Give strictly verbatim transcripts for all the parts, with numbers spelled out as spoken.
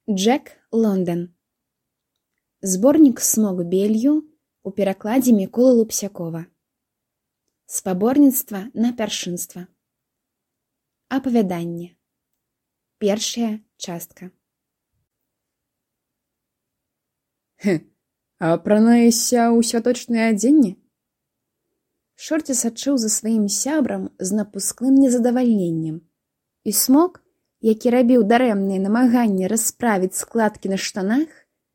Джек Лондон. Зборнік «Смок белью» у перакладзе Міколы Лупсякова. Спаборніцтва на пяршынства. Апавяданне. Першая частка. Хе, а апранаешся ў святочнае адзенне? Шорці сачыў за сваім сябрам з напускным незадавальненнем. І Смок, які рабіў дарэмныя намаганні расправіць складкі на штанах,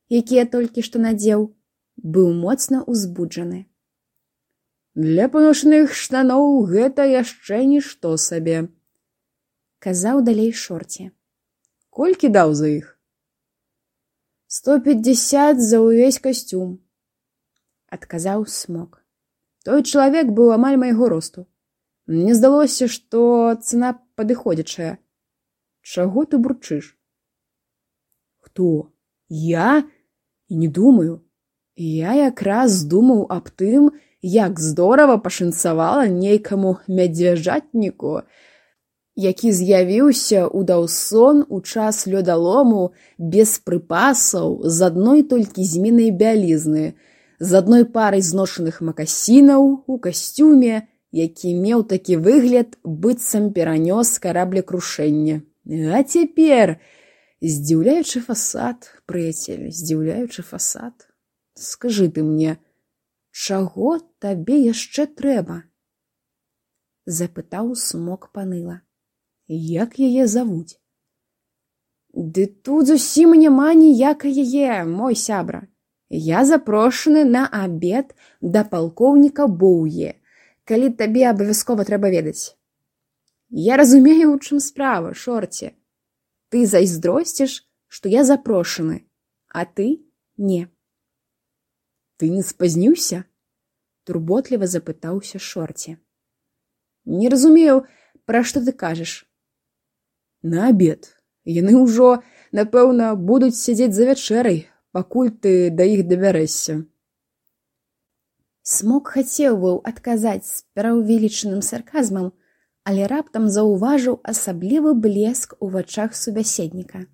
якія толькі што надзеў, быў моцна ўзбуджаны. «Для паношаных штаноў гэта яшчэ нішто сабе», — казаў далей Шорці. «Колькі даў за іх?» «Сто пятьдесят за ўвесь касцюм», — адказаў Смок. «Той чалавек быў амаль майго росту. Мне здалося, што цана падыходзячая. Чаго ты бурчыш?» «Хто? Я? І не думаю. Я якраз думаў аб тым, як здорава пашанцавала нейкаму мядзвяжатніку, які з'явіўся ў Даўсон у час лёдалому без прыпасаў, з адной толькі зменай бялізны, з адной парай зношаных макасінаў у касцюме, які меў такі выгляд, быццам перанёс караблекрушэнне. А цяпер, здзіўляючы фасад, прыяцель, здзіўляючы фасад, скажы ты мне, чаго табе яшчэ трэба?» — запытаў Смок паныла. «Як яе завуць?» «Ды тут зусім няма ніякай яе, мой сябра. Я запрошаны на абед да палкоўніка Боўе, калі табе абавязкова трэба ведаць. Я разумею, у чым справа, Шорці. Ты зайздросціш, што я запрошаны, а ты не». «Ты не спазніўся?» — турботліва запытаўся Шорці. «Не разумею, пра што ты кажаш». «На абед. Яны ўжо, напэўна, будуць сядзець за вячэрай, пакуль ты да іх дабярэшся». Смок хацеў быў адказаць з пераўвелічаным сарказмам, але раптам заўважыў асаблівы блеск у вачах субяседніка.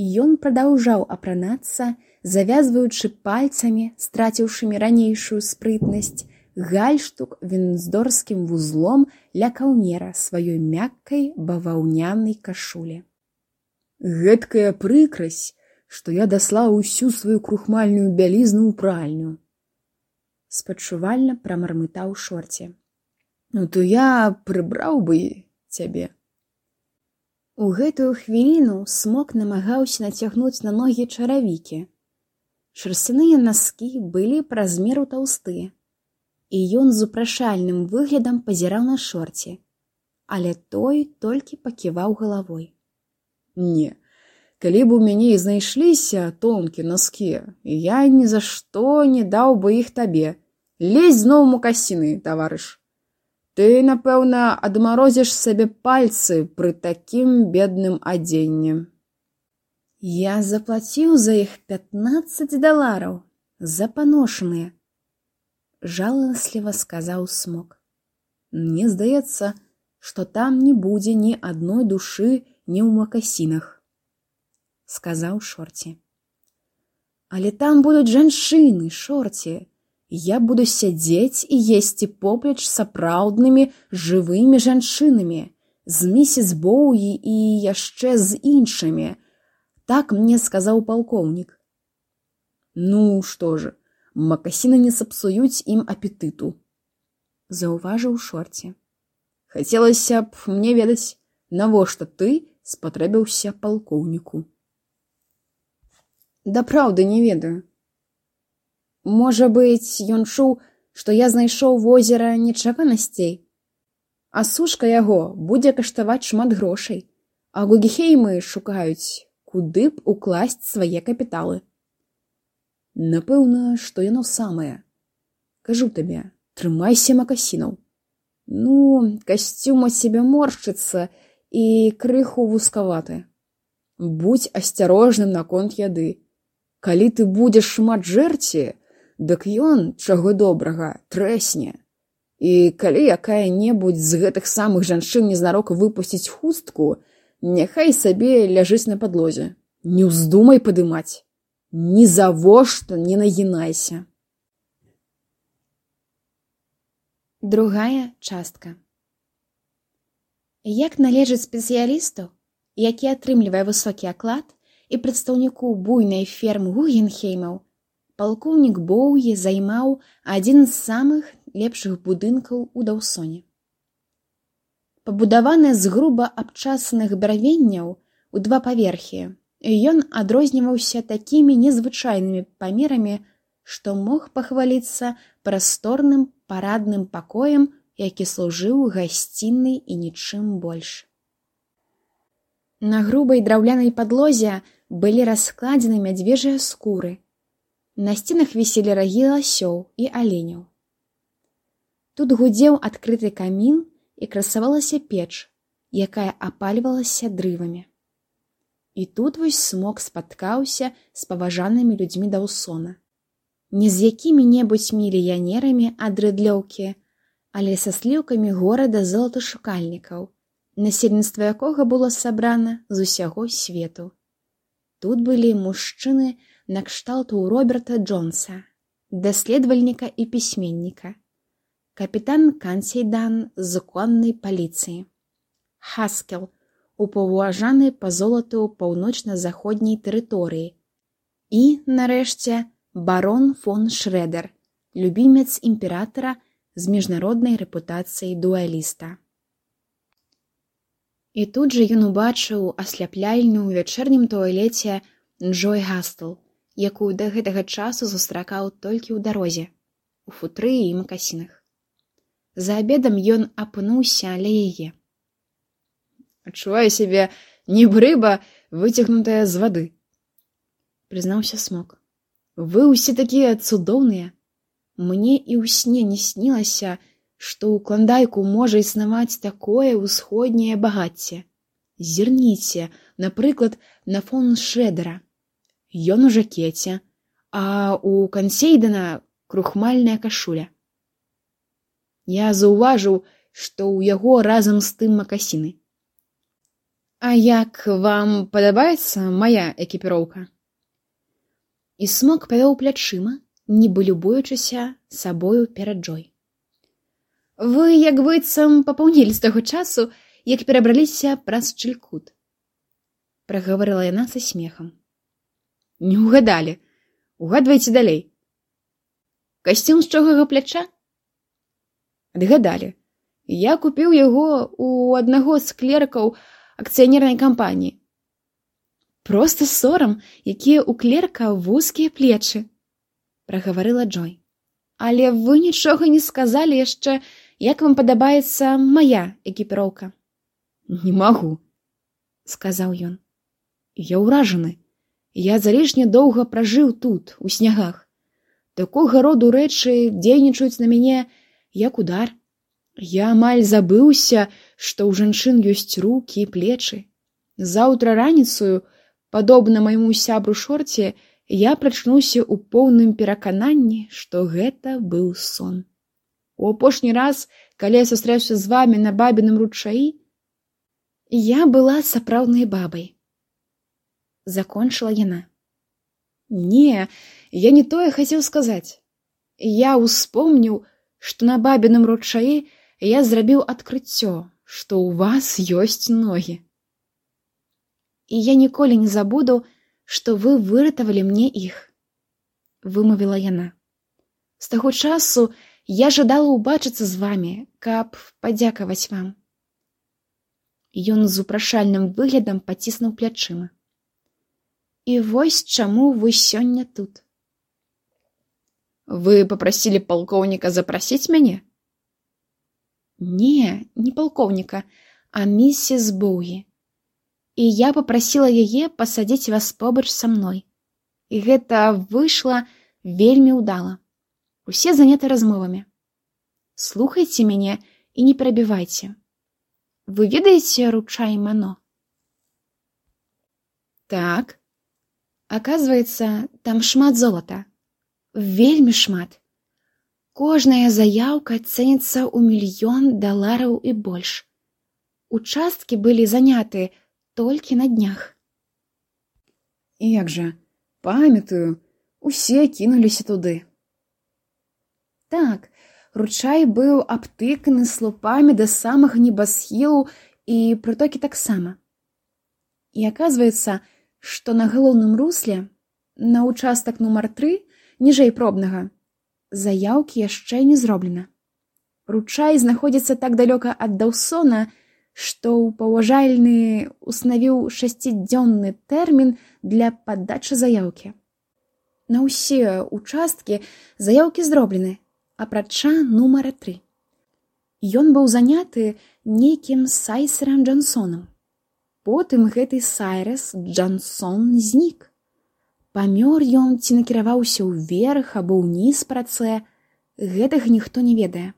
І ён прадаўжаў апранацца, завязваючы пальцамі, страціўшымі ранейшую спрытнасць, гальштук віндзорскім вузлом ля каўнера сваёй мяккай баваўнянай кашулі. «Гэткая прыкрасць, што я даслаў усю сваю крухмальную бялізну ў пральню», — спачувальна прамармытаў Шорці. «Ну то я прыбраў бы цябе». У гэтую хвіліну Смок намагаўся нацягнуць на ногі чаравікі. Шарсцяныя наскі былі праз меру таўстыя, і ён з упрашальным выглядам пазіраў на Шорці, але той толькі паківаў галавой. «Не, калі б у мяне і знайшліся тонкія наскі, я ні за што не даў бы іх табе. Лезь зноў мукасіны, таварыш. Ты, напэўна, адмарозіш сабе пальцы пры такім бедным адзенні». «Я заплаціў за іх пятнаццаць далараў, за паношаныя», — жаласліва сказаў Смок. «Мне здаецца, што там не будзе ні адной душы ні ў макасінах», — сказаў Шорці. «Але там будуць жанчыны, Шорці. Я буду сядзець і есці поплеч сапраўднымі жывымі жанчынамі, з місіс Боўі і яшчэ з іншымі. Так мне сказаў палкоўнік». «Ну, што ж, макасіны не сапсуюць ім апетыту», — заўважыў Шорці. «Хацелася б мне ведаць, навошта ты спатрэбіўся палкоўніку». «Дапраўды не ведаю. Можа быць, ён чуў, што я знайшоў возера нечаканасцей, а сушка яго будзе каштаваць шмат грошай, а Гугенхеймы шукаюць, куды б укласць свае капіталы». «Напэўна, што яно самае. Кажу табе, трымайся макасінаў. Ну, касцюм ад цябе моршчыцца і крыху вузкаваты. Будзь асцярожным наконт яды. Калі ты будзеш шмат жэрці, дык ён, чаго добрага, трэсне. І калі якая-небудзь з гэтых самых жанчын незнарок выпусціць хустку, няхай сабе ляжыць на падлозе. Не ўздумай падымаць. Ні завошта не нагінайся. Другая частка. Як належыць спецыялісту, які атрымлівае высокі аклад, і прадстаўніку буйнай фермы Гугенхеймаў, палкоўнік Боўі займаў адзін з самых лепшых будынкаў у Даўсоне. Пабудаваны з груба абчасаных бярвенняў у два паверхі, ён адрозніваўся такімі незвычайнымі памерамі, што мог пахваліцца прасторным парадным пакоем, які служыў гасцінай і нічым больш. На грубай драўлянай падлозе былі раскладзены мядзвежыя скуры. На сценах віселі рагі ласёў і аленяў. Тут гудзеў адкрыты камін і красавалася печ, якая апальвалася дрывамі. І тут вось Смок спаткаўся з паважанымі людзьмі Даўсона. Не з якімі-небудзь мільянерамі ад рыдлёўкі, але са сліўкамі горада золаташукальнікаў, насельніцтва якога было сабрана з усяго свету. Тут былі мужчыны накшталту Роберта Джонса, даследавальніка і пісьменніка, капітан Кансейдан з коннай паліцыі, Хаскел, упаўважаны па золату паўночна-заходняй тэрыторыі і, нарэшце, барон фон Шрэдер, любімец імператара з міжнароднай рэпутацыяй дуэліста. І тут жа ён убачыў асляпляльную ў вячэрнім туалеце Джой Гастл, якую да гэтага часу сустракаў толькі ў дарозе, у футры і макасінах. За абедам ён апынуўся ля яе. «Адчуваю сябе, нібы рыба, выцягнутая з вады», — прызнаўся Смок. «Вы ўсе такія цудоўныя. Мне і ў сне не снілася, што ў Кландайку можа існаваць такое ўсходняе багацце. Зірніце, напрыклад, на фон Шрэдера. Ён у жакеце, а ў Кансейдана крухмальная кашуля. Я заўважыў, што ў яго разам з тым макасіны. А як вам падабаецца мая экіпіроўка?» І Смок павёў плячыма, нібы любуючыся сабою перад Джой. «Вы як быццам папаўнілі з таго часу, як перабраліся праз Чылькут», — прагаварыла яна са смехам. «Не ўгадалі. Угадвайце далей. Касцюм з чогага пляча?» «Адгадалі. Я купіў яго ў аднаго з клеркаў акцыянернай кампаніі». «Проста сорам, якія ў клерка вузкія плечы», — прагаварыла Джой. «Але вы нічога не сказалі яшчэ, як вам падабаецца мая экіпіроўка?» «Не магу», — сказаў ён. «Я ўражаны. Я залішне доўга пражыў тут, у снягах. Такога роду рэчы дзейнічаюць на мяне, як удар. Я амаль забыўся, што ў жанчын ёсць рукі і плечы. Заўтра раніцаю, падобна майму сябру Шорце, я прачнуўся ў поўным перакананні, што гэта быў сон. У апошні раз, калі я сустрэўся з вамі на бабіным ручаі, я была сапраўднай бабай», — закончыла яна. «Не, я не тое хацеў сказаць. Я ўспомніў, што на бабіным ручаі я зрабіў адкрыццё, што ў вас ёсць ногі. І я ніколі не забуду, што вы выратавалі мне іх», — вымавіла яна. «З таго часу я жадала ўбачыцца з вамі, каб падзякаваць вам». Ён з упрашальным выглядам паціснуў плячыма. «І вось чаму вы сёння тут». «Вы папрасілі палкоўніка запрасіць мяне?» «Не, не палкоўніка, а міссіс Боўі. І я папрасіла яе пасадзіць вас побач са мной. І гэта выйшла вельмі ўдала. Усе заняты размовамі. Слухайце мяне і не перабівайце. Вы ведаеце ручай Мано?» «Так. Аказваецца, там шмат золата. Вельмі шмат. Кожная заяўка цэніцца ў мільён далараў і больш. Участкі былі заняты толькі на днях». І як жа, памятаю, усе кінуліся туды. Так, ручай быў абтыканы слупамі да самага небасхілу і прытокі таксама. І аказваецца, што на галоўным русле, на ўчастак нумар тры, ніжэй пробнага, заяўкі яшчэ не зроблена. Ручай знаходзіцца так далёка ад Даўсона, што паважальны устанавіў шасцідзённы тэрмін для падачы заяўкі. На ўсе ўчасткі заяўкі зроблены, апрача нумара тры. Ён быў заняты нейкім Сайресам Джонсонам. Потым гэты Сайрес Джонсон знік. Памёр ён ці накіраваўся ўверх або ўніз па рацэ, гэтага ніхто не ведае.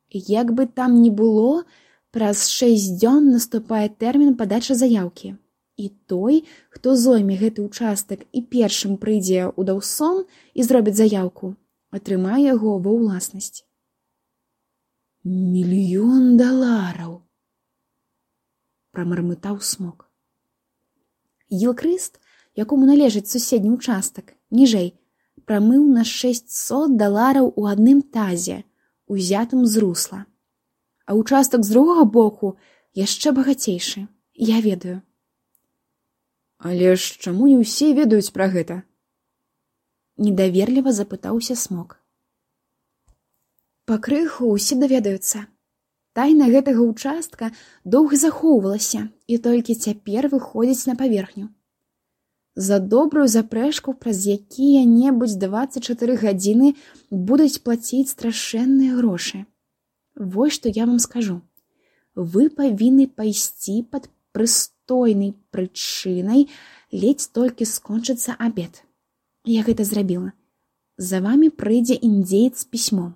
Як бы там ні было, праз шэсць дзён наступае тэрмін падачы заяўкі. І той, хто зойме гэты ўчастак і першым прыйдзе ў Даўсон і зробіць заяўку, атрымае яго ва ўласнасць. Мільён далараў, прамармытаў Смок. Гілкрыст, якому належыць суседні ўчастак, ніжэй, прамыў на шэсцьсот далараў у адным тазе, узятым з русла. А ўчастак з другога боку яшчэ багацейшы, я ведаю. Але ж чаму не ўсе ведаюць пра гэта? Недаверліва запытаўся Смок. Пакрыху ўсе даведаюцца. Тайна гэтага ўчастка доўга захоўвалася і толькі цяпер выходзіць на паверхню. За добрую запрэжку праз якія-небудзь дваццаць чатыры гадзіны будуць плаціць страшэнныя грошы. Вось што я вам скажу. Вы павінны пайсці пад прыстойнай прычынай, ледзь толькі скончыцца абед. Я гэта зрабіла. За вамі прыйдзе індзеец з пісьмом.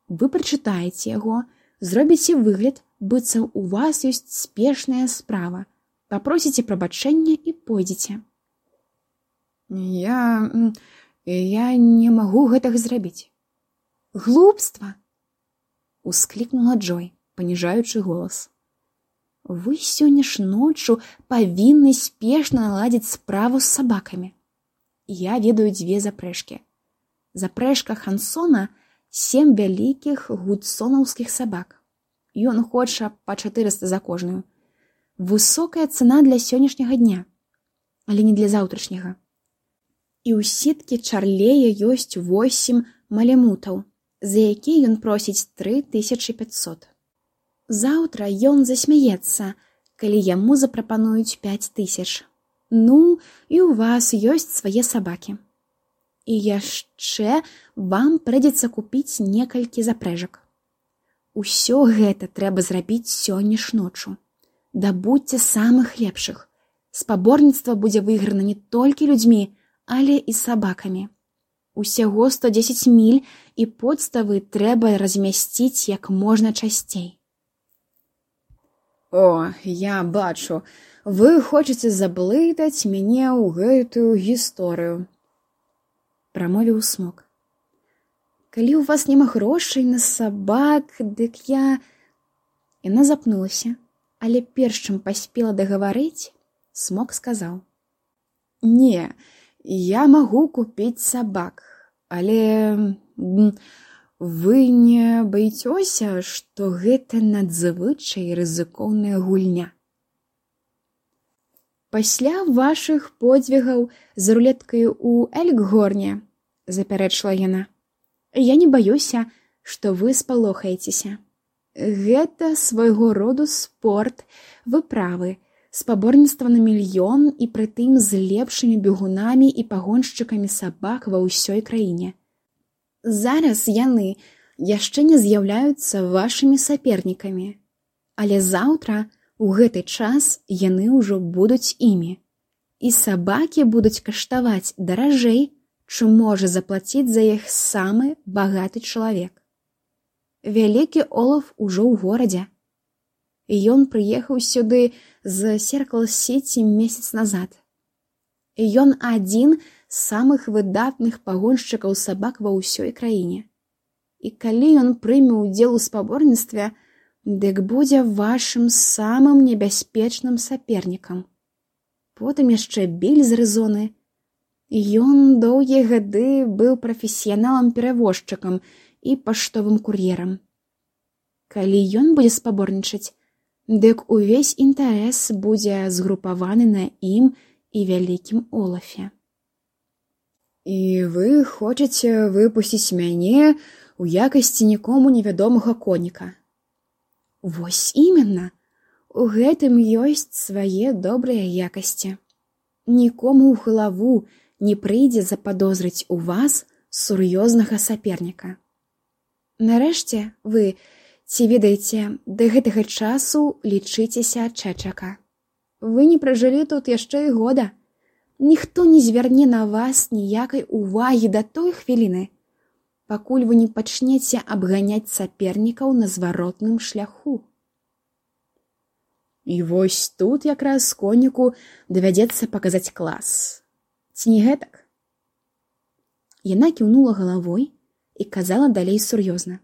Вы прачытаеце яго, зробіце выгляд, быццам у вас ёсць спешная справа. Папросіце прабачэння і пойдзеце. Я... я не магу гэтага зрабіць. Глупства! Усклікнула Джой, паніжаючы голас. Вы сёння ж ноччу павінны спешна наладзіць справу з сабакамі. Я ведаю дзве запрэжкі. Запрэжка Хансона — сем вялікіх гудсонаўскіх сабак. Ён хоча па чатырыста за кожную. Высокая цана для сённяшняга дня, але не для заўтрашняга. І ў сіткі Чарлея ёсць восем малемутаў, за якія ён просіць тры тысячы пяцьсот. Заўтра ён засмяецца, калі яму запрапануюць пяць тысяч. Ну, і ў вас ёсць свае сабакі. І яшчэ вам прыйдзецца купіць некалькі запрэжак. Усё гэта трэба зрабіць сёння ж ноччу. Дабудзьце самых лепшых. Спаборніцтва будзе выйграна не толькі людзьмі, але і сабакамі. Усяго сто дзесяць міль, і подставы трэба размясціць як можна часцей. О, я бачу, вы хочаце заблытаць мяне ў гэтую гісторыю. Прамовіў Смок. Калі ў вас няма грошай на сабак, дык я... Яна запнулася, але перш чым паспела дагаварыць, Смок сказаў. Не, я магу купіць сабак, але вы не баіцёся, што гэта надзвычай рызыкоўная гульня. Пасля вашых подзвігаў з рулеткаю ў Элькгорне, запярэчыла яна, я не баюся, што вы спалохаецеся. Гэта свайго роду спорт, выправы, спаборніцтва на мільён і прытым з лепшымі бегунамі і пагоншчыкамі сабак ва ўсёй краіне. Зараз яны яшчэ не з'яўляюцца вашымі сапернікамі, але заўтра у гэты час яны ўжо будуць імі. І сабакі будуць каштаваць даражэй, чым можа заплаціць за іх самы багаты чалавек. Вялікі Олаф ужо ў горадзе. Ён прыехаў сюды з Серкл-Сіці месяц назад. Ён адзін з самых выдатных пагоншчыкаў сабак ва ўсёй краіне. І калі ён прыме ўдзел у спаборніцтве, дык будзе вашым самым небяспечным сапернікам. потым яшчэ Біль з Арызоны. Ён доўгія гады быў прафесіяналам-перавозчыкам і паштовым кур'ерам. Калі ён будзе спаборнічаць, дык увесь інтарэс будзе згрупаваны на ім і вялікім Олафе. І вы хочаце выпусціць мяне ў якасці нікому невядомага коніка? Вось іменно. У гэтым ёсць свае добрыя якасці. Нікому ў галаву не прыйдзе западозрыць у вас сур'ёзнага саперніка. Нарэшце, вы, ці ведаеце, да гэтага часу лічыцеся Чэчака. Вы не пражылі тут яшчэ і года. Ніхто не звярне на вас ніякай увагі да той хвіліны, пакуль вы не пачнеце абганяць сапернікаў на зваротным шляху. І вось тут якраз коніку давядзецца паказаць клас. Ці не гэтак? Яна кіўнула галавой і казала далей сур'ёзна.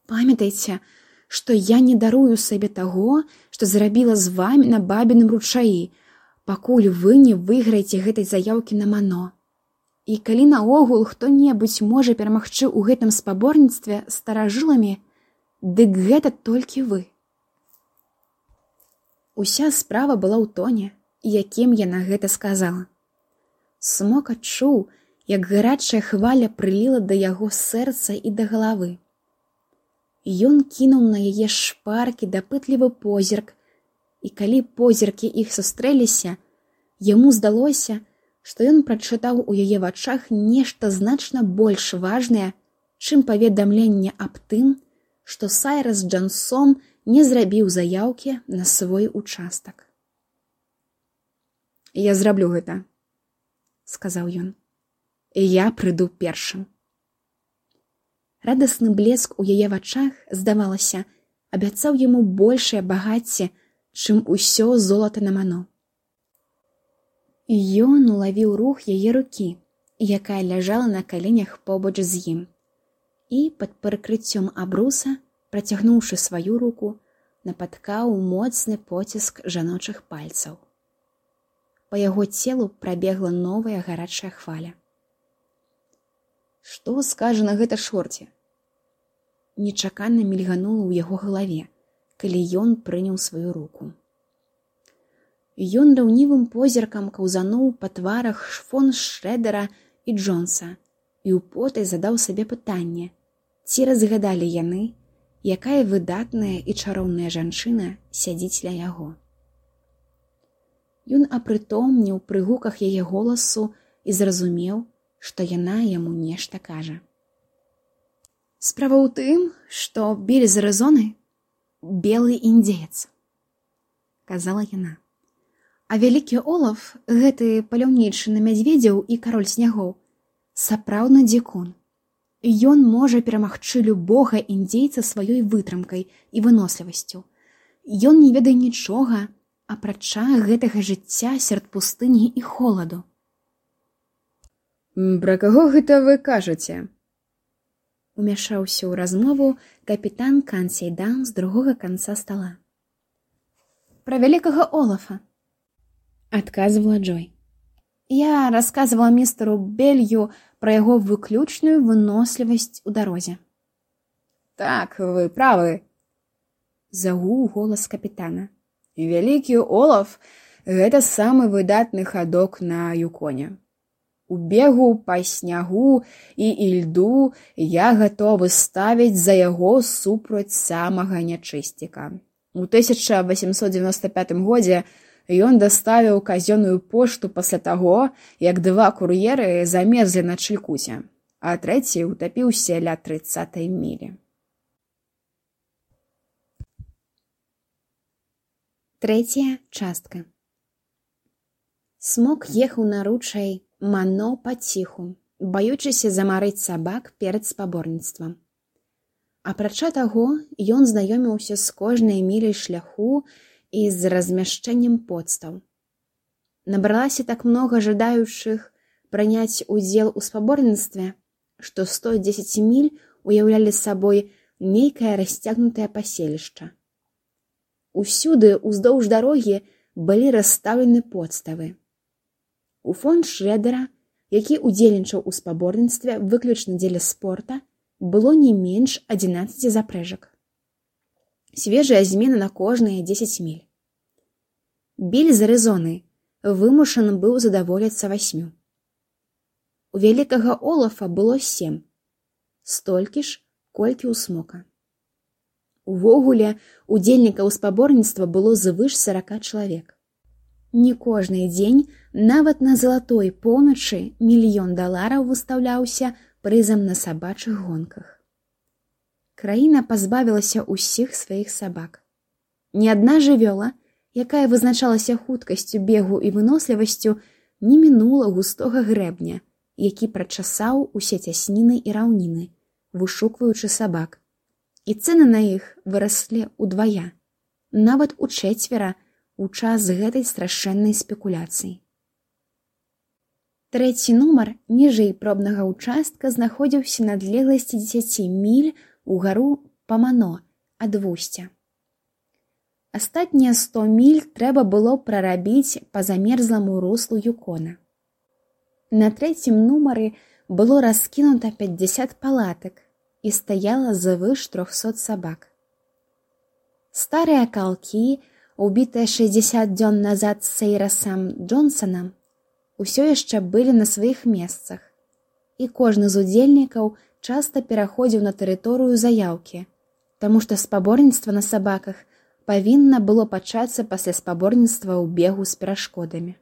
Памятайце, што я не дарую сабе таго, што зрабіла з вамі на бабіным ручаі, пакуль вы не выйграеце гэтай заяўкі на Мано. І калі наогул хто-небудзь можа перамагчы ў гэтым спаборніцтве старажыламі, дык гэта толькі вы. Уся справа была ў тоне, якім яна гэта сказала. Смок адчуў, як гарачая хваля прыліла да яго сэрца і да галавы. Ён кінуў на яе шпаркі дапытлівы позірк, і калі позіркі іх сустрэліся, яму здалося, што ён прачытаў у яе вачах нешта значна больш важнае, чым паведамленне аб тым, што Сайрас Джансон не зрабіў заяўкі на свой участак. «Я зраблю гэта», — сказаў ён. «І я прыйду першым». Радасны блеск у яе вачах, здавалася, абяцаў яму большае багацце, чым усё золата на Мано. Ён улавіў рух яе рукі, якая ляжала на каленях побач з ім, і пад прыкрыццём абруса, працягнуўшы сваю руку, напаткаў моцны поціск жаночых пальцаў. Па яго целу прабегла новая гарачая хваля. «Што скажа на гэта Шорці?» Нечакана мільганула ў яго галаве, калі ён прыняў сваю руку. Ён раўнівым позіркам каўзануў па тварах фон Шрэдера і Джонса і ўпотай задаў сабе пытанне, ці разгадалі яны, якая выдатная і чароўная жанчына сядзіць ля яго. Ён апрытомніў пры гуках яе голасу і зразумеў, што яна яму нешта кажа. «Справа ў тым, што Біль з Арызоны — белы індзеец», — казала яна. «А вялікі Олаф, гэты паляўнічы на мядзведзяў і кароль снягоў, сапраўдны дзікун. Ён можа перамагчы любога індзейца сваёй вытрымкай і вынослівасцю. Ён не ведае нічога, апрача гэтага жыцця сярод пустыні і холаду». «Пра каго гэта вы кажаце?» Умяшаўся ў размову капітан Кансейдан з другога канца стала. «Пра вялікага Олафа», — адказвала Джой. «Я расказвала містеру Белью пра яго выключную вынослівасць у дарозе». «Так, вы правы», — загуў голас капітана. «Вялікі Олаф — гэта самы выдатны хадок на Юконе. У бегу па снягу і ільду я гатовы ставіць за яго супраць самага нячысціка. У тысяча васемсот дзевяноста пятым годзе ён даставіў казённую пошту пасля таго, як два кур'еры замерзлі на Чылькуце, а трэці ўтапіўся ля трыццатай мілі». Трэцяя частка. Смок ехаў на ручай Мано паціху, баючыся замарыць сабак перад спаборніцтвам. Апрача таго, ён знаёміўся з кожнай міляй шляху і з размяшчэннем подстаў. Набралася так многа жадаючых прыняць удзел у спаборніцтве, што сто дзесяць міль уяўлялі сабой нейкае расцягнутае паселішча. Усюды, уздоўж дарогі, былі расстаўлены подставы. У фонд Шрэдера, які ўдзельнічаў у спаборніцтве выключна дзеля спорта, было не менш адзінаццаці запрэжак. Свежая змена на кожныя дзесяць міль. Біль з Арызоны вымушаны быў задаволіцца васьмю. У вялікага Олафа было сем, столькі ж, колькі ў Смока. Увогуле, удзельнікаў спаборніцтва было звыш сарака чалавек. Не кожны дзень, нават на залатой поўначы, мільён далараў выстаўляўся прызам на сабачых гонках. Краіна пазбавілася ўсіх сваіх сабак. Ні адна жывёла, якая вызначалася хуткасцю бегу і вынослівасцю, не мінула густога грэбня, які прачасаў усе цясніны і раўніны, вышукваючы сабак. І цэны на іх выраслі ўдвая, нават у чэцвера у час гэтай страшэннай спекуляцыі. Трэці нумар ніжэй пробнага ўчастка знаходзіўся на адлегласці дзесяці міль угару па Мано ад вусця. Астатнія сто міль трэба было прарабіць па замерзламу руслу Юкона. На трэцім нумары было раскінута пяцьдзясят палатак і стаяла звыш трохсот сабак. Старыя калкі, убітыя шэсцьдзесят дзён назад з Сейрасам Джонсонам, усё яшчэ былі на сваіх месцах, і кожны з удзельнікаў часта пераходзіў на тэрыторыю заяўкі, таму што спаборніцтва на сабаках павінна было пачацца пасля спаборніцтва ў бегу з перашкодамі.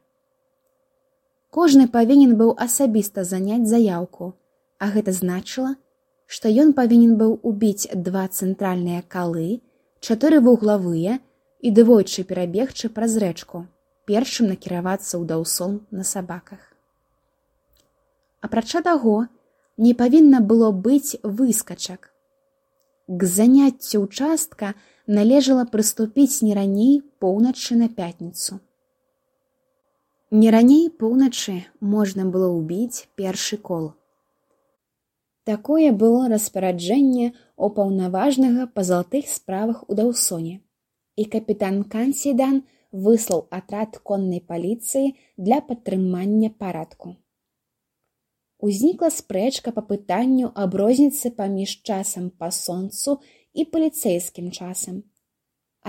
Кожны павінен быў асабіста заняць заяўку, а гэта значыла, што ён павінен быў убіць два цэнтральныя калы, чатыры вуглавыя і двойчы перабегчы праз рэчку, першым накіравацца ў даўсон на сабаках. Апрача таго, не павінна было быць выскачак. К заняццю ўчастка належала прыступіць не раней поўначы на пятніцу. Не раней поўначы можна было ўбіць першы кол. Такое было распараджэнне ўпаўнаважнага па залатых справах у Даўсоне, і капітан Кансідан выслаў атрад коннай паліцыі для падтрымання парадку. Узнікла спрэчка па пытанню аб розніцы паміж часам па сонцу і паліцэйскім часам,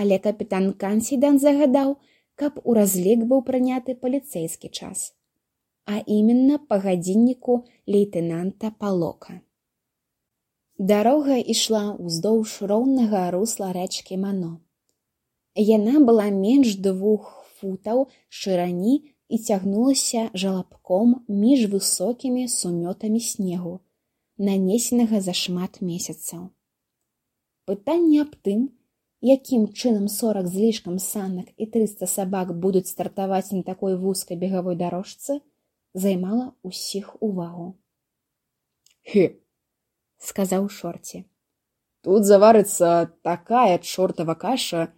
але капітан Кансідан загадаў, каб у разлік быў прыняты паліцэйскі час, а іменна па гадзінніку лейтэнанта Палока. Дарога ішла ўздоўж роўнага русла рэчкі Мано. Яна была менш двух футаў шырані і цягнулася жалабком між высокімі сумётамі снегу, нанесенага за шмат месяцаў. Пытанне аб тым, якім чынам сорак з лішкам санак і трыста сабак будуць стартаваць на такой вузкай бегавой дарожцы, займала ўсіх увагу. «Хе!» — сказаў Шорці. «Тут заварыцца такая чортава каша,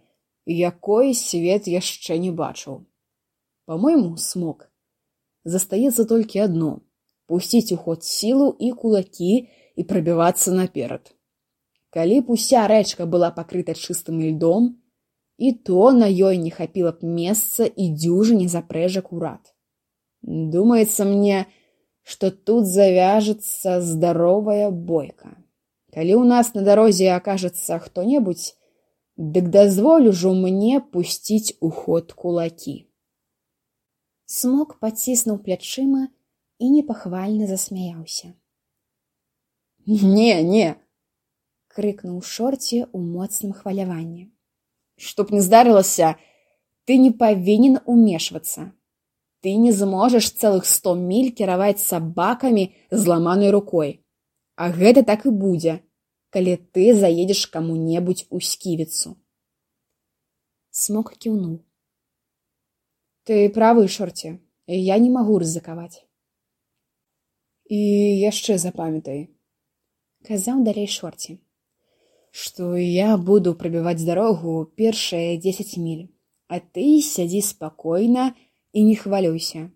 якой свет яшчэ не бачыў. По-мойму, Смок, застаецца толькі адно — пусціць у ход сілу і кулакі і прабівацца наперад. Калі б уся рэчка была пакрыта чыстым льдом, і то на ёй не хапіла б месца і дзюжыне запрэжак у рад. Думаецца мне, што тут завяжецца здаровая бойка. Калі ў нас на дарозе акажацца хто-небудзь, дык дазволю жо мне пусціць у ход кулакі». Смок паціснуў плячыма і непахвальна засмяяўся. «Не, не!» — крыкнуў Шорці ў моцным хваляванні. «Што б не здарылася, ты не павінен умешвацца. Ты не зможаш цэлых сто міль кіраваць сабакамі зламанай рукой. А гэта так і будзе, калі ты заедзеш каму-небудзь у сківіцу». Смок кіўнуў. «Ты правы, Шорці, я не магу рызыкаваць. І яшчэ запамятай», — казаў далей Шорці, «што я буду прабіваць дарогу першыя дзесяць міль, а ты сядзі спакойна і не хвалюйся.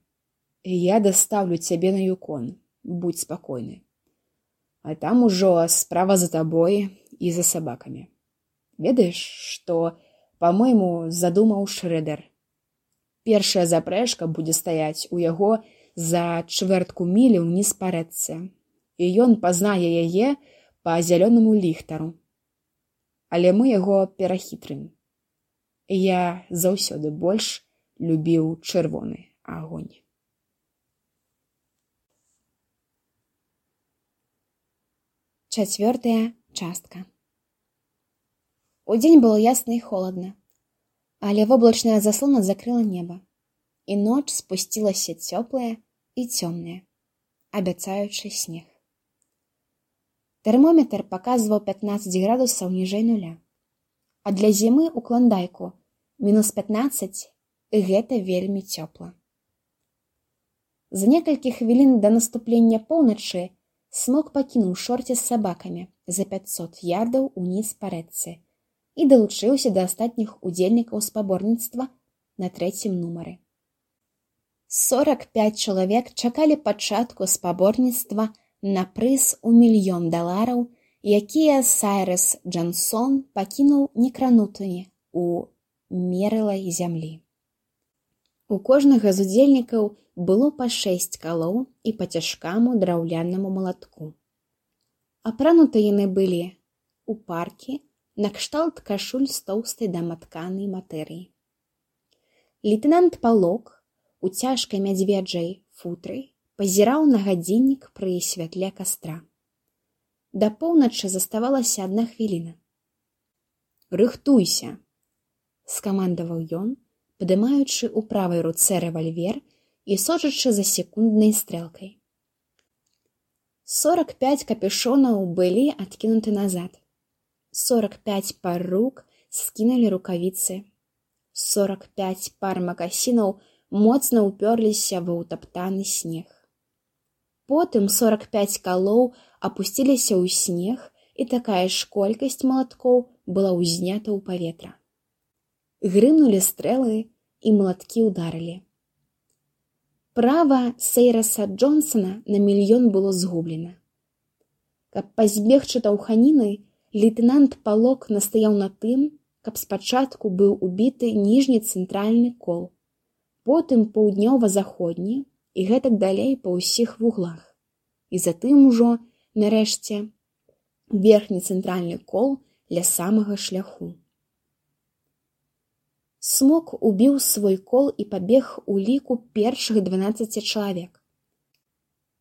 Я дастаўлю цябе на Юкон, будь спакойны. А там ужо справа за табой і за сабакамі. Ведаеш, што, па-мойму, задумаў Шрэдер? Першая запрэжка будзе стаяць у яго за чвэртку мілі ўніз па рэчцы, і ён пазнае яе па зялёнаму ліхтару. Але мы яго перахітрым. Я заўсёды больш любіў чырвоны агонь. Чацвёртая частка. Удзень было ясна і холадна, але воблачная заслона закрыла неба, і ноч спусцілася цёплая і цёмная, абяцаючы снег. Тэрмометр паказваў пятнаццаць градусаў ніжэй нуля, а для зімы ў Клондайку мінус пятнаццаць і гэта вельмі цёпла. За некалькі хвілін да наступлення поўначы Смок пакінуў шорці з сабакамі за пяцьсот ярдаў уніз па рэчцы і далучыўся да астатніх удзельнікаў спаборніцтва на трэцім нумары. сорак пяць чалавек чакалі пачатку спаборніцтва на прыз у мільён далараў, якія Сайрэс Джансон пакінуў некранутымі у мерылай зямлі. У кожнага з удзельнікаў было па шэсць калоў і па цяжкаму драўлянаму малатку. Апрануты яны былі у паркі накшталт кашуль з тоўстай даматканай матэрыі. Лейтэнант Палок у цяжкай мядзведжай футры пазіраў на гадзіннік пры святле кастра. Да поўначы заставалася адна хвіліна. «Рыхтуйся!» — скамандаваў ён, падымаючы ў правай руцэ рэвальвер і сочачы за секунднай стрэлкай. сорак пяць капюшонаў былі адкінуты назад. сорак пяць пар рук скінулі рукавіцы. сорак пяць пар макасінаў моцна ўпёрліся ва ўтаптаны снег. Потым сорак пяць калоў апусціліся ў снег, і такая ж колькасць малаткоў была ўзнята ў паветра. Грымнулі стрэлы, і малаткі ўдарылі. Права Сайрэса Джонсона на мільён было згублена. Каб пазбегчы таўханіны, лейтэнант Палок настаяў на тым, каб спачатку быў убіты ніжні цэнтральны кол, потым паўднёва-заходні і гэтак далей па ўсіх вуглах. І затым ужо, нарэшце, верхні цэнтральны кол ля самага шляху. Смок убіў свой кол і пабег у ліку першых дванаццаці чалавек.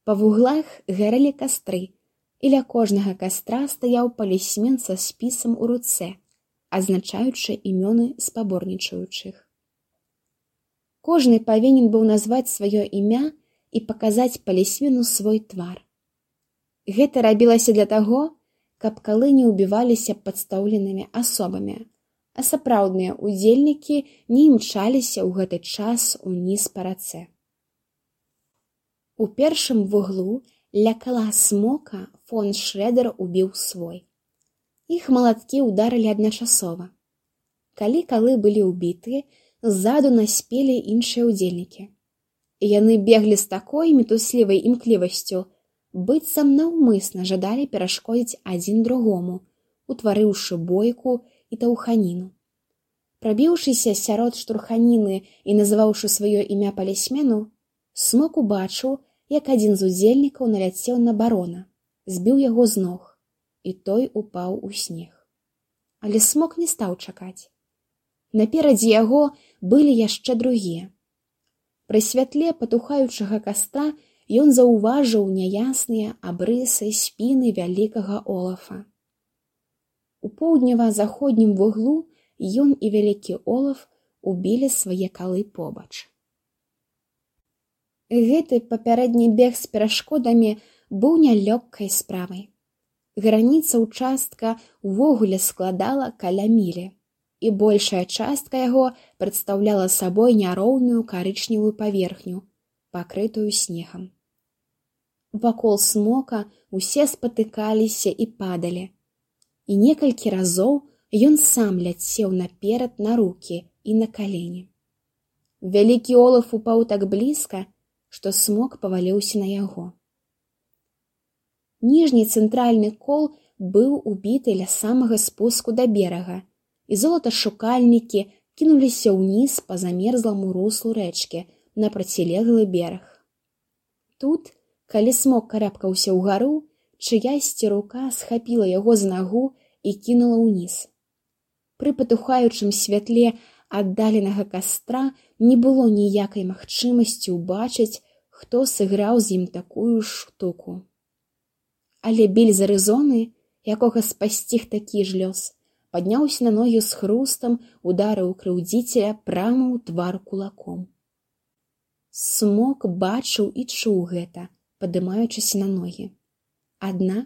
Па вуглах гарэлі кастры, і ля кожнага кастра стаяў палісмен са спісам у руцэ, азначаючы імёны спаборнічаючых. Кожны павінен быў назваць сваё імя і паказаць палісмену свой твар. Гэта рабілася для таго, каб калы не ўбіваліся падстаўленымі асобамі, а сапраўдныя ўдзельнікі не імчаліся ў гэты час уніз па рацэ. У першым вуглу ля кала Смока фон Шрэдэр убіў свой. Іх малаткі ўдарылі адначасова. Калі калы былі ўбітыя, ззаду наспелі іншыя ўдзельнікі. Яны беглі з такой мітуслівай імклівасцю, быццам наўмысна жадалі перашкодзіць адзін другому, утварыўшы бойку і таўханіну. Прабіўшыся сярод штурханіны і называўшы сваё імя палісмену, Смок убачыў, як адзін з удзельнікаў наляцеў на барона, збіў яго з ног, і той упаў у снег. Але Смок не стаў чакаць. Наперадзе яго былі яшчэ другія. Пры святле патухаючага кастра ён заўважыў няясныя абрысы спіны вялікага Олафа. У поўднева-заходнім вуглу ён і вялікі Олаф убілі свае калы побач. Гэты папярэдні бег з перашкодамі быў нялёгкай справай. Граніца ўчастка ўвогуле складала каля мілі, і большая частка яго прадстаўляла сабой няроўную карычневую паверхню, пакрытую снегам. Вакол Смока усе спатыкаліся і падалі, і некалькі разоў ён сам ляцеў наперад на рукі і на калені. Вялікі Олаф упаў так блізка, што Смок паваліўся на яго. Ніжні цэнтральны кол быў убіты ля самага спуску да берага, і золаташукальнікі кінуліся ўніз па замерзламу руслу рэчкі на процілеглы бераг. Тут, калі Смок карабкаўся ўгару, чыясьці рука схапіла яго за нагу і кінула ўніз. Пры патухаючым святле аддаленага кастра не было ніякай магчымасці ўбачыць, хто сыграў з ім такую штуку. Але Біль з Арызоны, якога спасціг такі ж лёс, падняўся на ногі з хрустам, ударыў крыўдзіцеля прама ў твар кулаком. Смок бачыў і чуў гэта, падымаючыся на ногі. Аднак,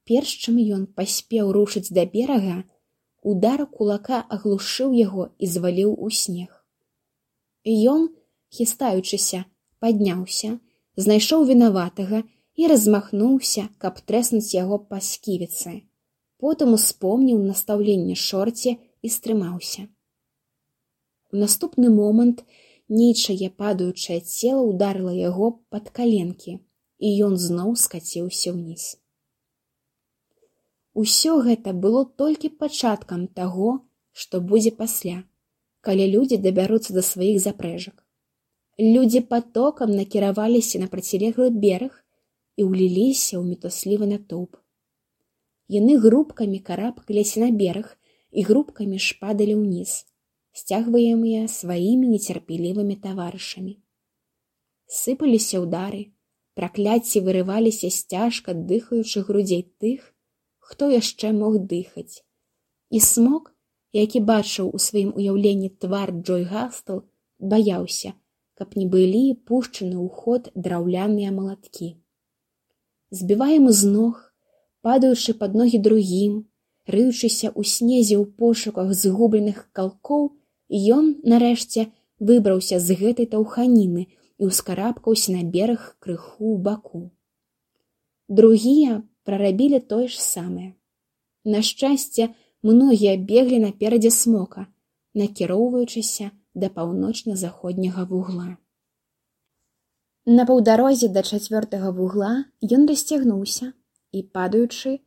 перш чым ён паспеў рушыць да берага, удар кулака аглушыў яго і зваліў у снег. Ён, хістаючыся, падняўся, знайшоў вінаватага і размахнуўся, каб трэснуць яго па сківіцы. Потым успомніў настаўленне Шорці і стрымаўся. У наступны момант нейчае падаючае цела ўдарыла яго пад каленкі, і ён зноў скаціўся ўніз. Усё гэта было толькі пачаткам таго, што будзе пасля, калі людзі дабяруцца да сваіх запрэжак. Людзі патокам накіраваліся на процілеглы бераг і ўліліся ў мітуслівы натоўп. Яны групкамі карабкаліся на бераг і групкамі ж падалі ўніз, сцягваемыя сваімі нецярпелівымі таварышамі. Сыпаліся ўдары, пракляцці вырываліся з цяжка дыхаючых грудзей тых, хто яшчэ мог дыхаць. І Смок, які бачыў у сваім уяўленні твар Джой Гастл, баяўся, каб не былі пушчаны ў ход драўляныя малаткі. Збіваемы з ног, падаючы пад ногі другім, рыючыся ў снезе ў пошуках згубленых калкоў, ён, нарэшце, выбраўся з гэтай таўханіны і ўскарабкаўся на бераг крыху ў баку. Другія прарабілі тое ж самае. На шчасце, многія беглі наперадзе Смока, накіроўваючыся да паўночна-заходняга вугла. На паўдарозе да чацвёртага вугла ён расцягнуўся і, падаючы,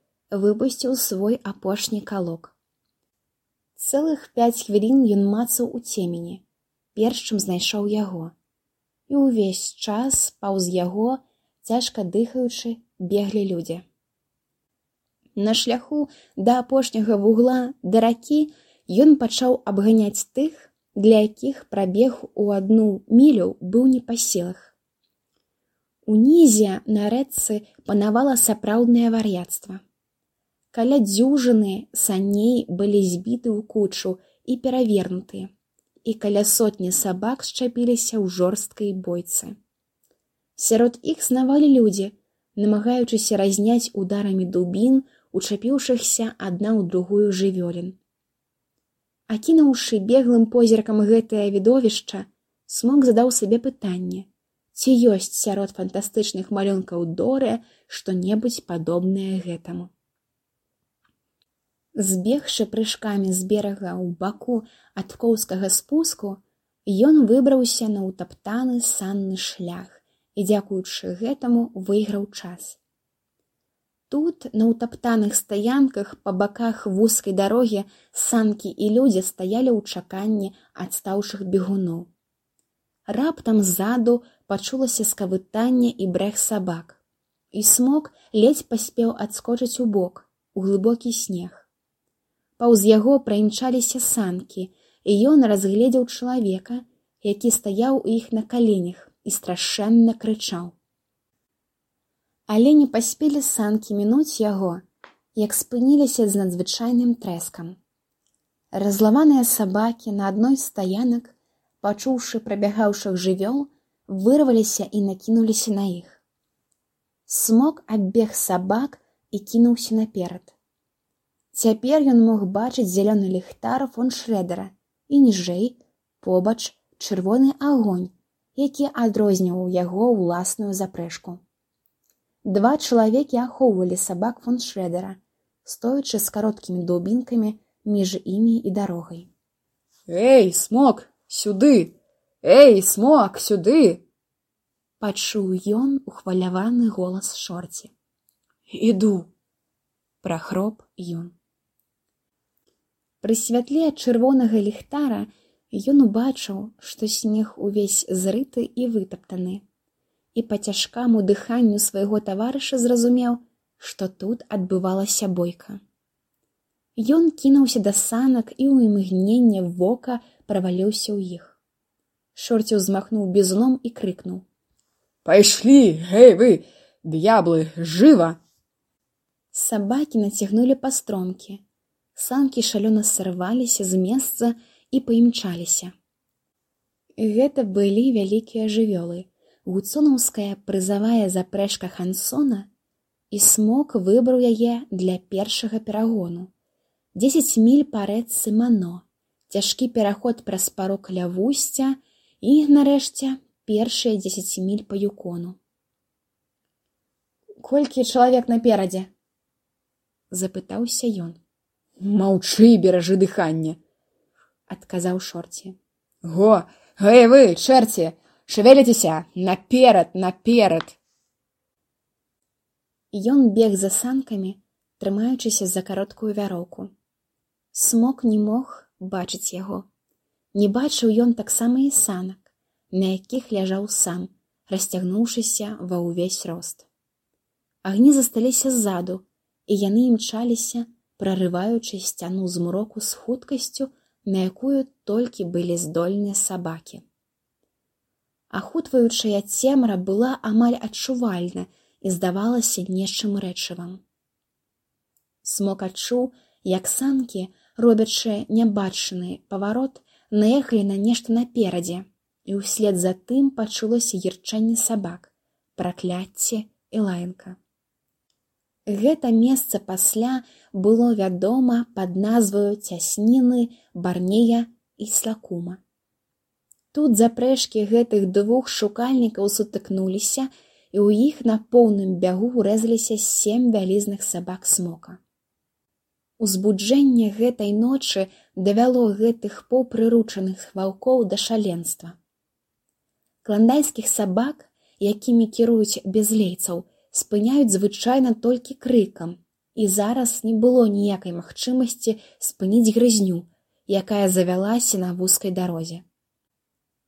выпусціў свой апошні калок. Цэлых пяць хвілін ён мацаў у цемені, перш чым знайшоў яго, і ўвесь час паўз яго, цяжка дыхаючы, беглі людзі. На шляху да апошняга вугла да ракі ён пачаў абганяць тых, для якіх прабег у адну мілю быў не па сілах. Унізе на рэчцы панавала сапраўднае вар'яцтва. Каля дзюжыны саней былі збіты ў кучу і перавернутыя, і каля сотні сабак счапіліся ў жорсткай бойцы. Сярод іх снавалі людзі, намагаючыся разняць ударамі дубін, учапіўшыхся адна ў другую жывёлін. Акінуўшы беглым позіркам гэтае відовішча, Смок задаў сабе пытанне, ці ёсць сярод фантастычных малюнкаў Доры што-небудзь падобнае гэтаму. Збегшы прыжкамі з берага ў баку ад коўскага спуску, ён выбраўся на ўтаптаны санны шлях і, дзякуючы гэтаму, выйграў час. Тут, на ўтаптаных стаянках па баках вузкай дарогі, санкі і людзі стаялі ў чаканні адстаўшых бегуноў. Раптам ззаду пачулася скавытанне і брэх сабак, і Смок ледзь паспеў адскочыць у бок, у глыбокі снег. Паўз яго праімчаліся санкі, і ён разгледзеў чалавека, які стаяў у іх на каленях і страшэнна крычаў. Але не паспелі санкі мінуць яго, як спыніліся з надзвычайным трэскам. Разламаныя сабакі на адной з стаянак, пачуўшы прабягаўшых жывёл, вырваліся і накінуліся на іх. Смок аббег сабак і кінуўся наперад. Цяпер ён мог бачыць зялёны ліхтар фон Шрэдера і ніжэй, побач, чырвоны агонь, які адрозніваў яго ўласную запрэжку. Два чалавекі ахоўвалі сабак фон Шрэдера, стоячы з кароткімі дубінкамі між імі і дарогай. «Эй, Смок, сюды! Эй, Смок, сюды!» Пачуў ён ухваляваны голас Шорці. «Іду!» – прахроп ён. Пры святле чырвонага ліхтара Ён убачыў, што снег увесь зрыты і вытаптаны, і па цяжкаму дыханню свайго таварыша зразумеў, што тут адбывалася бойка. Ён кінуўся да санак і ў імгненне вока праваліўся ў іх. Шорці ўзмахнуў бізуном і крыкнуў: «Пайшлі, гэй вы, д'яблы, жыва!» Сабакі нацягнулі пастромкі. Санкі шалёна сарваліся з месца і паімчаліся. Гэта былі вялікія жывёлы, гуцонаўская прызавая запрэжка Хансона, і Смок выбраў яе для першага перагону. Дзесяць міль па рэчцы Мано, цяжкі пераход праз парог ля вусця і, нарэшце, першыя дзесяць міль па Юкону. «Колькі чалавек наперадзе?» — запытаўся ён. «Маўчы, беражы дыханне!» — адказаў Шорці. «Го, гэй вы, чэрці, шавеліцеся, наперад, наперад!» Ён бег за санкамі, трымаючыся за кароткую вяроўку. Смок не мог бачыць яго. Не бачыў ён таксама і санак, на якіх ляжаў сам, расцягнуўшыся ва ўвесь рост. Агні засталіся ззаду, і яны імчаліся, прарываючы сцяну змроку з хуткасцю, на якую толькі былі здольныя сабакі. Ахутваючая цемра была амаль адчувальна і здавалася нечым рэчывам. Смок адчуў, як санкі, робячы нябачаны паварот, наехалі на нешта наперадзе, і ўслед за тым пачулася ірчанне сабак, пракляцце і лаянка. Гэта месца пасля было вядома пад назваю цясніны Барнея і Слакума. Тут запрэжкі гэтых двух шукальнікаў сутыкнуліся, і ў іх на поўным бягу рэзаліся сем вялізных сабак Смока. Узбуджэнне гэтай ночы давяло гэтых паўпрыручаных ваўкоў да шаленства. Кландайскіх сабак, якімі кіруюць бязлейцаў, спыняюць звычайна толькі крыкам, і зараз не было ніякай магчымасці спыніць грызню, якая завялася на вузкай дарозе.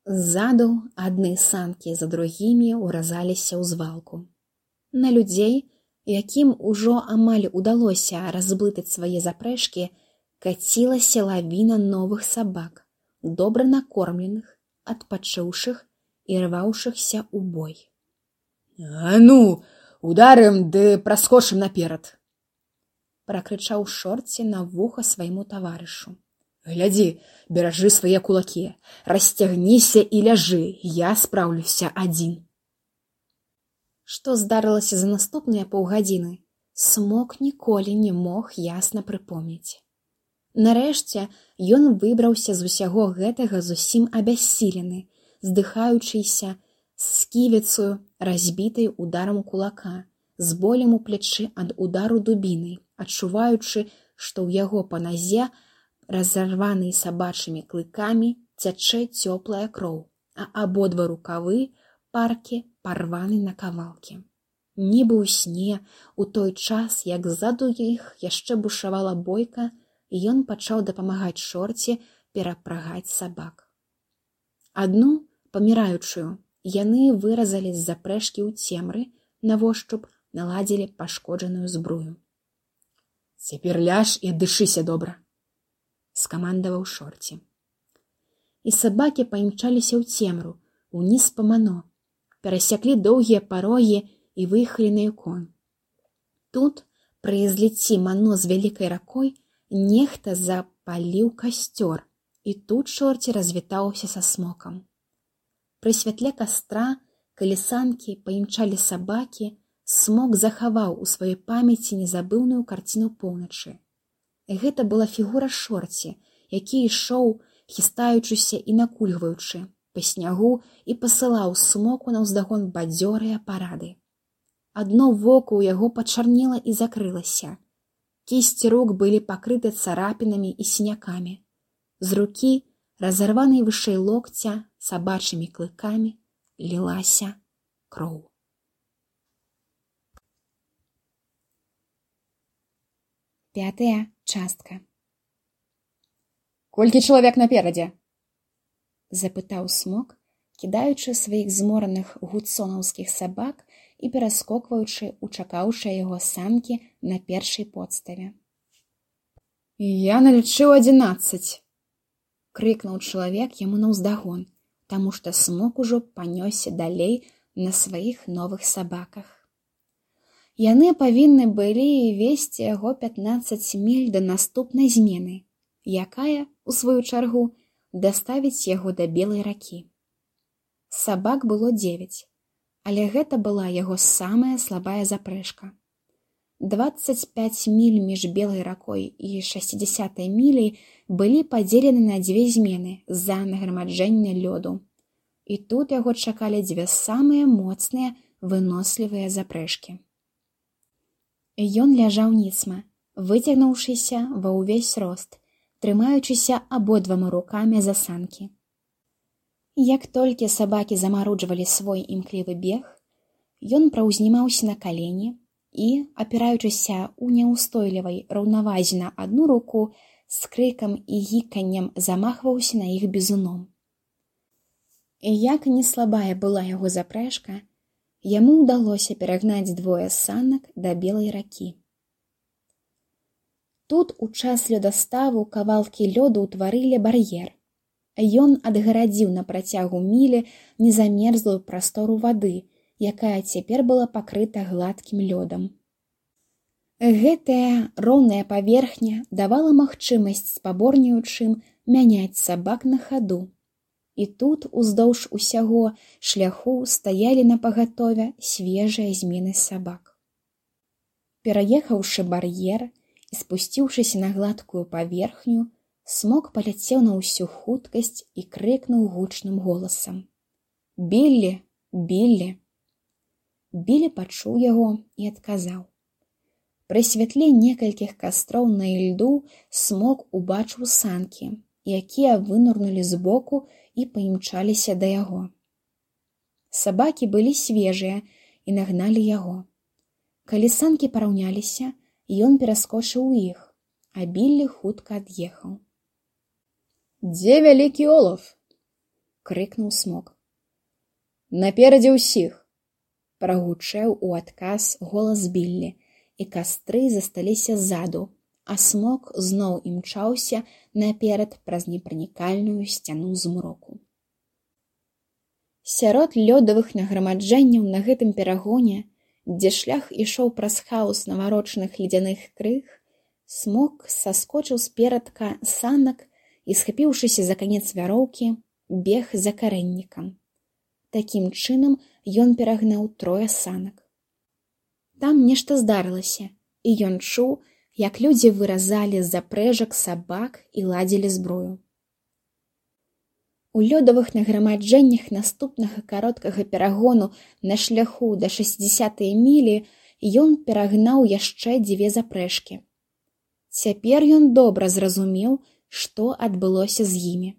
Ззаду адны санкі за другімі ўразаліся ў звалку. На людзей, якім ужо амаль удалося разблытаць свае запрэжкі, кацілася лавіна новых сабак, добра накормленых, адпачыўшых і рваўшыхся ў бой. «А ну, ударым ды праскочым наперад!» — пракрычаў Шорці на вуха свайму таварышу. «Глядзі, беражы свае кулакі, расцягніся і ляжы, я спраўлюся адзін!» Што здарылася за наступныя паўгадзіны, Смок ніколі не мог ясна прыпомніць. Нарэшце ён выбраўся з усяго гэтага зусім абяссілены, здыхаючыся, з сківіцаю, разбітай ударам кулака, з болем у плячы ад удару дубінай, адчуваючы, што ў яго па назе, разарванай сабачымі клыкамі, цячэ цёплая кроў, а абодва рукавы паркі парваны на кавалкі. Нібы ў сне, у той час, як ззаду іх яшчэ бушавала бойка, ён пачаў дапамагаць Шорці перапрагаць сабак. Адну, паміраючую, яны выразалі з запрэжкі ў цемры, навошчуп наладзілі пашкоджаную збрую. «Цяпер ляж і аддышыся добра!» — скамандаваў Шорці. І сабакі паімчаліся ў цемру, уніз па Мано, перасяклі доўгія парогі і выехалі на Юкон. Тут, пры зліцці Мано з вялікай ракой, нехта запаліў касцёр, і тут Шорці развітаўся са Смокам. Пры святле кастра, калі санкі паімчалі сабакі, Смок захаваў у сваёй памяці незабыўную карціну поўначы. Гэта была фігура Шорці, які ішоў, хістаючыся і накульгваючы, па снягу і пасылаў Смоку наўздагон бадзёрыя парады. Адно вока ў яго пачарнела і закрылася. Кісці рук былі пакрыты царапінамі і сінякамі. З рукі, разарванай вышэй локця, сабачымі клыкамі, лілася кроў. Пятая частка. «Колькі чалавек наперадзе?» запытаў смок, кідаючы сваіх змораных гудсонаўскіх сабак і пераскокваючы ў чакаўшыя яго санкі на першай подставе. «Я налічыў адзінаццаць!» — крыкнуў чалавек яму наўздагон, таму што смок ужо панёсся далей на сваіх новых сабаках. Яны павінны былі весці яго пятнаццаць міль да наступнай змены, якая, у сваю чаргу, даставіць яго да Белай ракі. Сабак было дзевяць, але гэта была яго самая слабая запрэжка. дваццаць пяць міль між Белай ракой і шэсцідзясятай міляй былі падзелены на дзве змены з-за нагромаджэння лёду. І тут яго чакалі дзве самыя моцныя, вынослівыя запрэжкі. Ён ляжаў ніцма, выцягнуўшыся ва ўвесь рост, трымаючыся абодвума рукамі за санкі. Як толькі сабакі замаруджвалі свой імклівы бег, ён праўзнімаўся на калені і, апіраючыся ў няўстойлівай раўнавазе на адну руку, з крыкам і гіканнем замахваўся на іх бізуном. І як не слабая была яго запрэжка, яму ўдалося перагнаць двое санак да Белай ракі. Тут у час лёдаставу кавалкі лёду ўтварылі бар'ер. Ён адгарадзіў на працягу мілі незамерзлую прастору вады, якая цяпер была пакрыта гладкім лёдам. Гэтая роўная паверхня давала магчымасць спаборніўчым мяняць сабак на хаду. І тут уздоўж усяго шляху стаялі напагатове свежыя змены сабак. Пераехаўшы бар'ер і спусціўшыся на гладкую паверхню, смок паляцеў на ўсю хуткасць і крыкнуў гучным голасам: «Біллі! Біллі!» Біллі пачуў яго і адказаў. Пры святле некалькіх кастроў на ільду смок убачыў санкі, якія вынырнулі збоку і паімчаліся да яго. Сабакі былі свежыя і нагналі яго. Калі санкі параўняліся, ён пераскочыў у іх, а Біллі хутка ад'ехаў. «Дзе вялікі олав?» — крыкнуў смок. «Наперадзе ўсіх!» — прагучэў у адказ голас Біллі, і кастры засталіся ззаду, а смок зноў імчаўся наперад праз непранікальную сцяну змроку. Сярод лёдавых нагромаджэнняў на гэтым перагоне, дзе шлях ішоў праз хаос наварочаных ледзяных крыг, смок саскочыў з перадка санак і, схапіўшыся за канец вяроўкі, бег за карэннікам. Такім чынам ён перагнаў трое санак. Там нешта здарылася, і ён чуў, як людзі выразалі з запрэжак сабак і ладзілі зброю. У лёдавых нагромаджэннях наступнага кароткага перагону на шляху да шэсцідзясятай мілі ён перагнаў яшчэ дзве запрэжкі. Цяпер ён добра зразумеў, што адбылося з імі.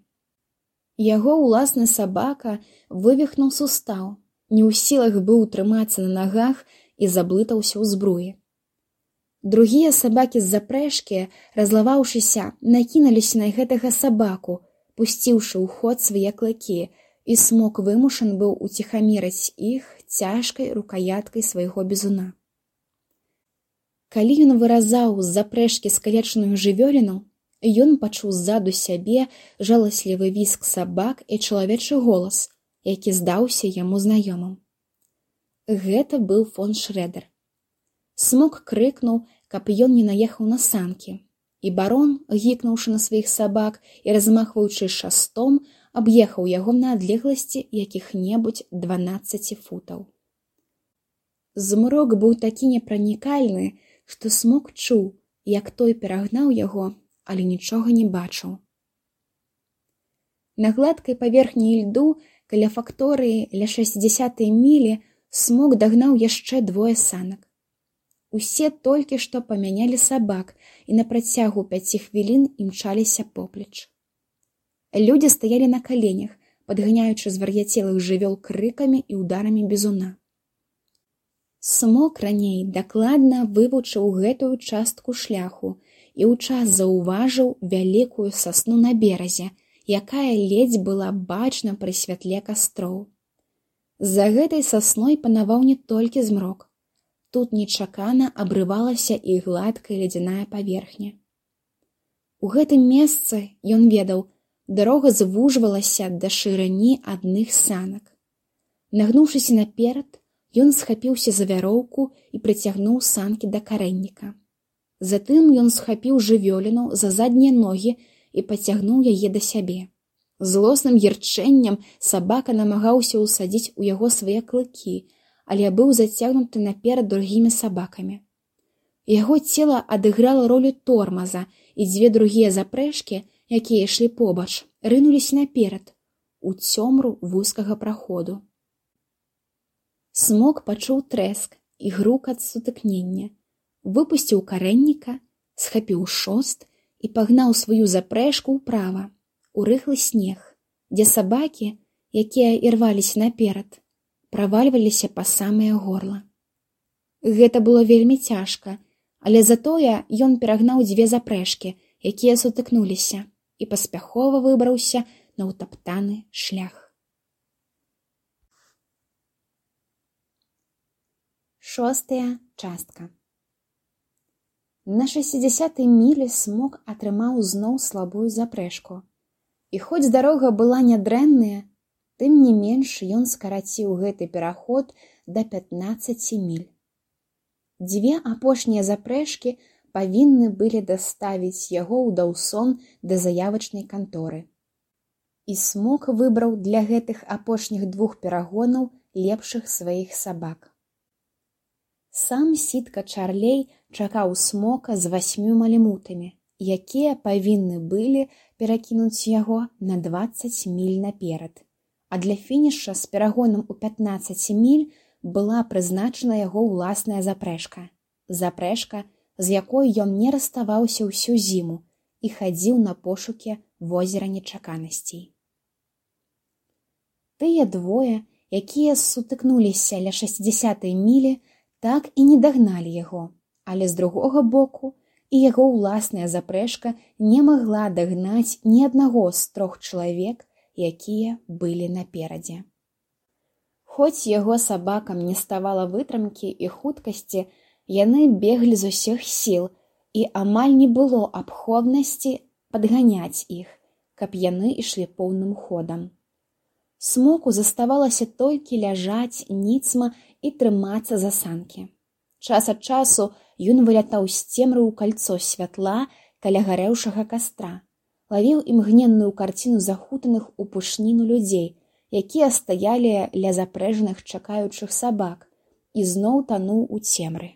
Яго ўласны сабака вывіхнуў сустаў, не ў сілах быў трымацца на нагах і заблытаўся ў збруі. Другія сабакі з запрэжкі, разлаваўшыся, накінуліся на гэтага сабаку, пусціўшы ў ход свае клыкі, і смок вымушан быў уціхамірыць іх цяжкай рукаяткай свайго бізуна. Калі ён выразаў з запрэжкі скалечаную жывёліну, ён пачуў ззаду сябе жаласлівы віск сабак і чалавечы голас, які здаўся яму знаёмым. Гэта быў фон Шрэдэр. Смок крыкнуў, каб ён не наехаў на санкі, і барон, гікнуўшы на сваіх сабак і размахваючы шастом, аб'ехаў яго на адлегласці якіх-небудзь дванаццаці футаў. Змрок быў такі непранікальны, што смок чуў, як той перагнаў яго, але нічога не бачыў. На гладкай паверхні льду каля факторыі ля шэсцідзясятай мілі смок дагнаў яшчэ двое санак. Усе толькі што памянялі сабак і на працягу пяці хвілін імчаліся поплеч. Людзі стаялі на каленях, падганяючы звар'яцелых жывёл крыкамі і ударамі бізуна. Смок раней дакладна вывучыў гэтую частку шляху і ў час заўважыў вялікую сасну на беразе, якая ледзь была бачна пры святле кастроў. За гэтай сасной панаваў не толькі змрок. Тут нечакана абрывалася і гладкая ледзяная паверхня. У гэтым месцы, ён ведаў, дарога звужвалася да шырыні адных санак. Нагнуўшыся наперад, ён схапіўся за вяроўку і прыцягнуў санкі да карэнніка. Затым ён схапіў жывёліну за заднія ногі і пацягнуў яе да сябе. Злосным гірчэннем сабака намагаўся ўсадзіць у яго свае клыкі, але быў зацягнуты наперад другімі сабакамі. Яго цела адыграла ролю тормаза, і дзве другія запрэжкі, якія ішлі побач, рынуліся наперад, у цёмру вузкага праходу. Смок пачуў трэск і грукат сутыкнення, выпусціў карэнніка, схапіў шост і пагнаў сваю запрэжку ўправа, у рыхлы снег, дзе сабакі, якія ірваліся наперад, правальваліся па самае горла. Гэта было вельмі цяжка, але затое ён перагнаў дзве запрэжкі, якія сутыкнуліся, і паспяхова выбраўся на ўтаптаны шлях. Шостая частка. На шэсцідзясятай мілі Смок атрымаў зноў слабую запрэжку. І хоць дарога была нядрэнная, тым не менш ён скараціў гэты пераход да пятнаццаці міль. Дзве апошнія запрэжкі павінны былі даставіць яго ў Даўсон да заявачнай канторы. І Смок выбраў для гэтых апошніх двух перагонаў лепшых сваіх сабак. Сам Сітка Чарлей чакаў Смока з васьмю малімутамі, якія павінны былі перакінуць яго на дваццаць міль наперад, а для фініша з перагонам у пятнаццаць міль была прызначана яго ўласная запрэжка. Запрэжка, з якой ён не расставаўся ўсю зіму і хадзіў на пошукі возера нечаканасцей. Тыя двое, якія сутыкнуліся ля шэсцідзясятай мілі, так і не дагналі яго, але з другога боку і яго ўласная запрэжка не магла дагнаць ні аднаго з трох чалавек, якія былі наперадзе. Хоць яго сабакам не ставала вытрымкі і хуткасці, яны беглі з усіх сіл, і амаль не было абходнасці падганяць іх, каб яны ішлі поўным ходам. Смоку заставалася толькі ляжаць ніцма і трымацца за санкі. Час ад часу ён вылятаў з цемры ў кальцо святла каля гарэўшага кастра, лавіў імгненную карціну захутаных у пушніну людзей, якія стаялі ля запрэжаных чакаючых сабак, і зноў тануў у цемры.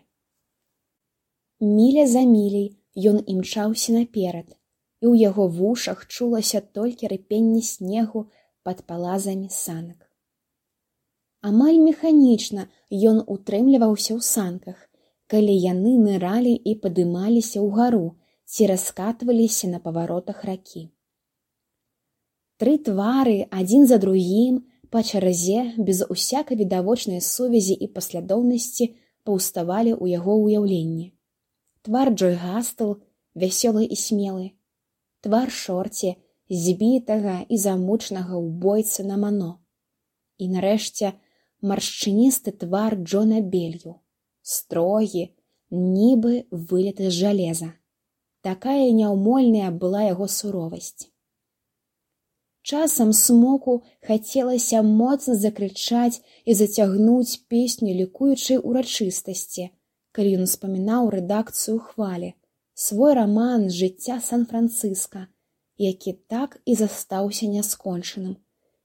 Міля за міляй ён імчаўся наперад, і ў яго вушах чулася толькі рыпенне снегу пад палазамі санак. Амаль механічна ён утрымліваўся ў санках, калі яны ныралі і падымаліся ўгару ці раскатваліся на паваротах ракі. Тры твары адзін за другім па чарзе без усякай відавочнай сувязі і паслядоўнасці паўставалі ў яго ўяўленні. Твар Джой Гастл, вясёлы і смелы, твар Шорці, збітага і замучнага ўбойцы на Мано. І нарэшце маршчыністы твар Джона Белью, строгі, нібы вылеты з жалеза. Такая няўмольная была яго суровасць. Часам Смоку хацелася моцна закрычаць і зацягнуць песню лікуючай урачыстасці, калі ён успамінаў рэдакцыю «Хвалі», свой раман з жыцця Сан-Францыска, які так і застаўся няскончаным,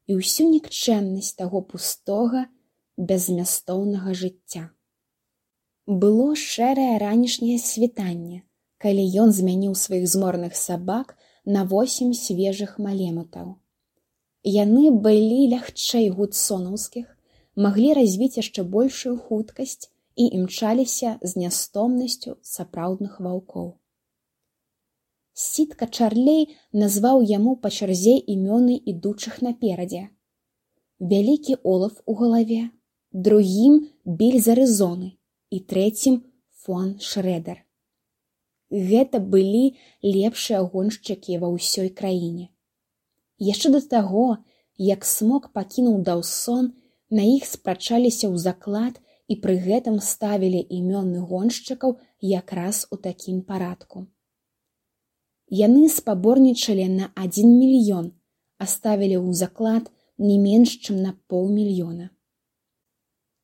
і ўсю нікчэмнасць таго пустога, беззмястоўнага жыцця. Было шэрае ранішняе світанне, калі ён змяніў сваіх зморных сабак на восем свежых малемутаў. Яны былі лягчэй гудсонаўскіх, маглі развіць яшчэ большую хуткасць і імчаліся з нястомнасцю сапраўдных ваўкоў. Сітка Чарлей назваў яму па чарзе імёны ідучых наперадзе. Вялікі Олаф у галаве, другім Бельзарызоны і трэцім фон Шрэдер. Гэта былі лепшыя гоншчыкі ва ўсёй краіне. Яшчэ да таго, як Смок пакінуў Даўсон, на іх спрачаліся ў заклад і пры гэтым ставілі імёны гоншчыкаў якраз у такім парадку. Яны спаборнічалі на адзін мільён, а ставілі ў заклад не менш, чым на паўмільёна.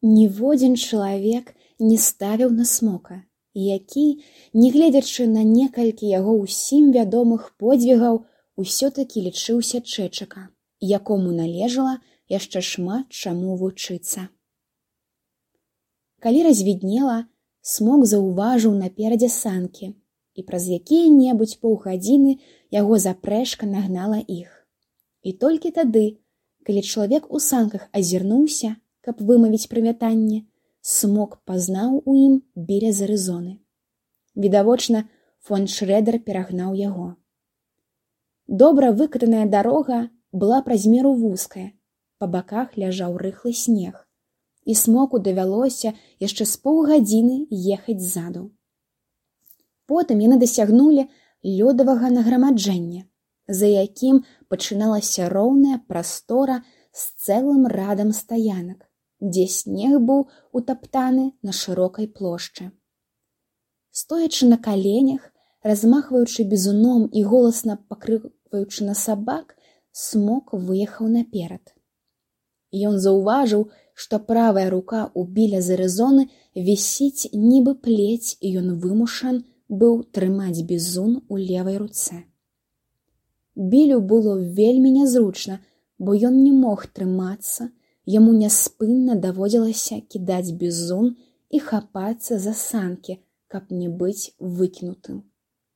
Ніводзін чалавек не ставіў на Смока, які, нягледзячы на некалькі яго ўсім вядомых подзвігаў, усё-такі лічыўся чэчака, якому належала яшчэ шмат чаму вучыцца. Калі развіднела, Смок заўважыў наперадзе санкі, і праз якія-небудзь паўгадзіны яго запрэжка нагнала іх. І толькі тады, калі чалавек у санках азірнуўся, каб вымавіць прывітанне, Смок пазнаў у ім біля Зарызоны. Відавочна, фон Шрэдэр перагнаў яго. Добра выкатаная дарога была праз меру вузкая, па баках ляжаў рыхлы снег, і Смоку давялося яшчэ з паўгадзіны ехаць ззаду. Потым яны дасягнулі лёдавага нагромаджэння, за якім пачыналася роўная прастора з цэлым радам стаянак, дзе снег быў утаптаны на шырокай плошчы. Стоячы на каленях, размахваючы бізуном і голасна пакрыкваючы на сабак, Смок выехаў наперад. Ён заўважыў, што правая рука ў біля Зарызоны вісіць нібы плець, і ён вымушан быў трымаць бізун у левай руцэ. Білю было вельмі нязручна, бо ён не мог трымацца, яму няспынна даводзілася кідаць бізун і хапацца за санкі, каб не быць выкінутым.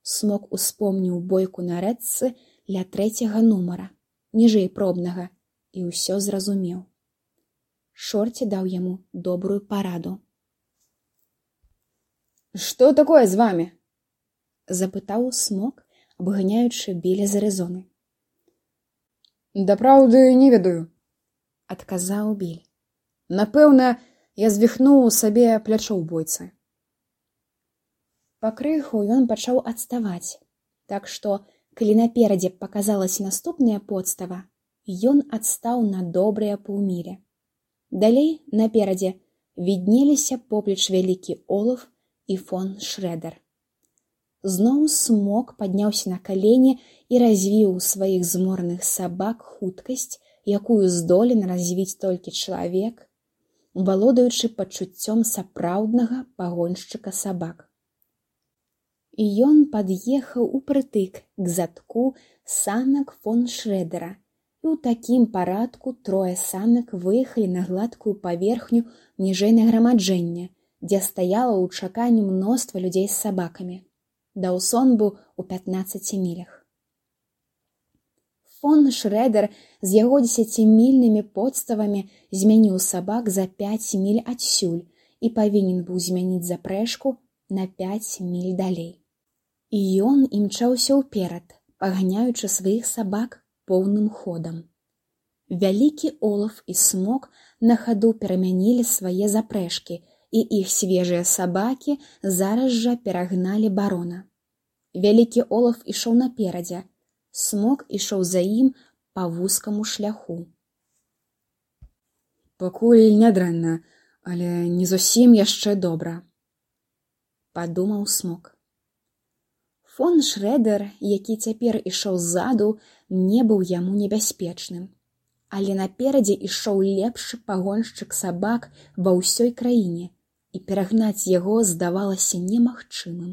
Смок успомніў бойку на рэчцы ля трэцяга нумара, ніжэй пробнага, і ўсё зразумеў. Шорці даў яму добрую параду. «Што такое з вамі?» — запытаў Смок, абганяючы біля Зарызоны. «Дапраўды не ведаю», — адказаў Біль. «Напэўна, я звіхнуў сабе плячо ў бойцы». Пакрыху ён пачаў адставаць, так што, калі наперадзе паказалася наступная подстава, ён адстаў на добрыя паўмілі. Далей, наперадзе, віднеліся поплеч вялікі Олаф і фон Шрэдэр. Зноў Смок падняўся на калені і развіў у сваіх змораных сабак хуткасць, якую здолен развіць толькі чалавек, валодаючы пачуццём сапраўднага пагоншчыка сабак. І ён пад'ехаў упрытык к задку санак фон Шрэдэра, і ў такім парадку трое санак выехалі на гладкую паверхню ніжэй нагромаджэння, дзе стаяла ў чаканні мноства людзей з сабакамі. Даўсон быў у пятнаццаці мілях. Фон Шрэдэр з яго дзесяцімільнымі подставамі змяніў сабак за пяць міль адсюль і павінен быў змяніць запрэжку на пяць міль далей. І ён імчаўся ўперад, паганяючы сваіх сабак поўным ходам. Вялікі Олаф і Смок на хаду перамянілі свае запрэжкі, і іх свежыя сабакі зараз жа перагналі барона. Вялікі Олаф ішоў наперадзе, Смок ішоў за ім па вузкаму шляху. «Пакуль нядрэнна, але не зусім яшчэ добра», — падумаў Смок. Фон Шрэдэр, які цяпер ішоў ззаду, не быў яму небяспечным. Але наперадзе ішоў лепшы пагоншчык сабак ва ўсёй краіне, і перагнаць яго здавалася немагчымым.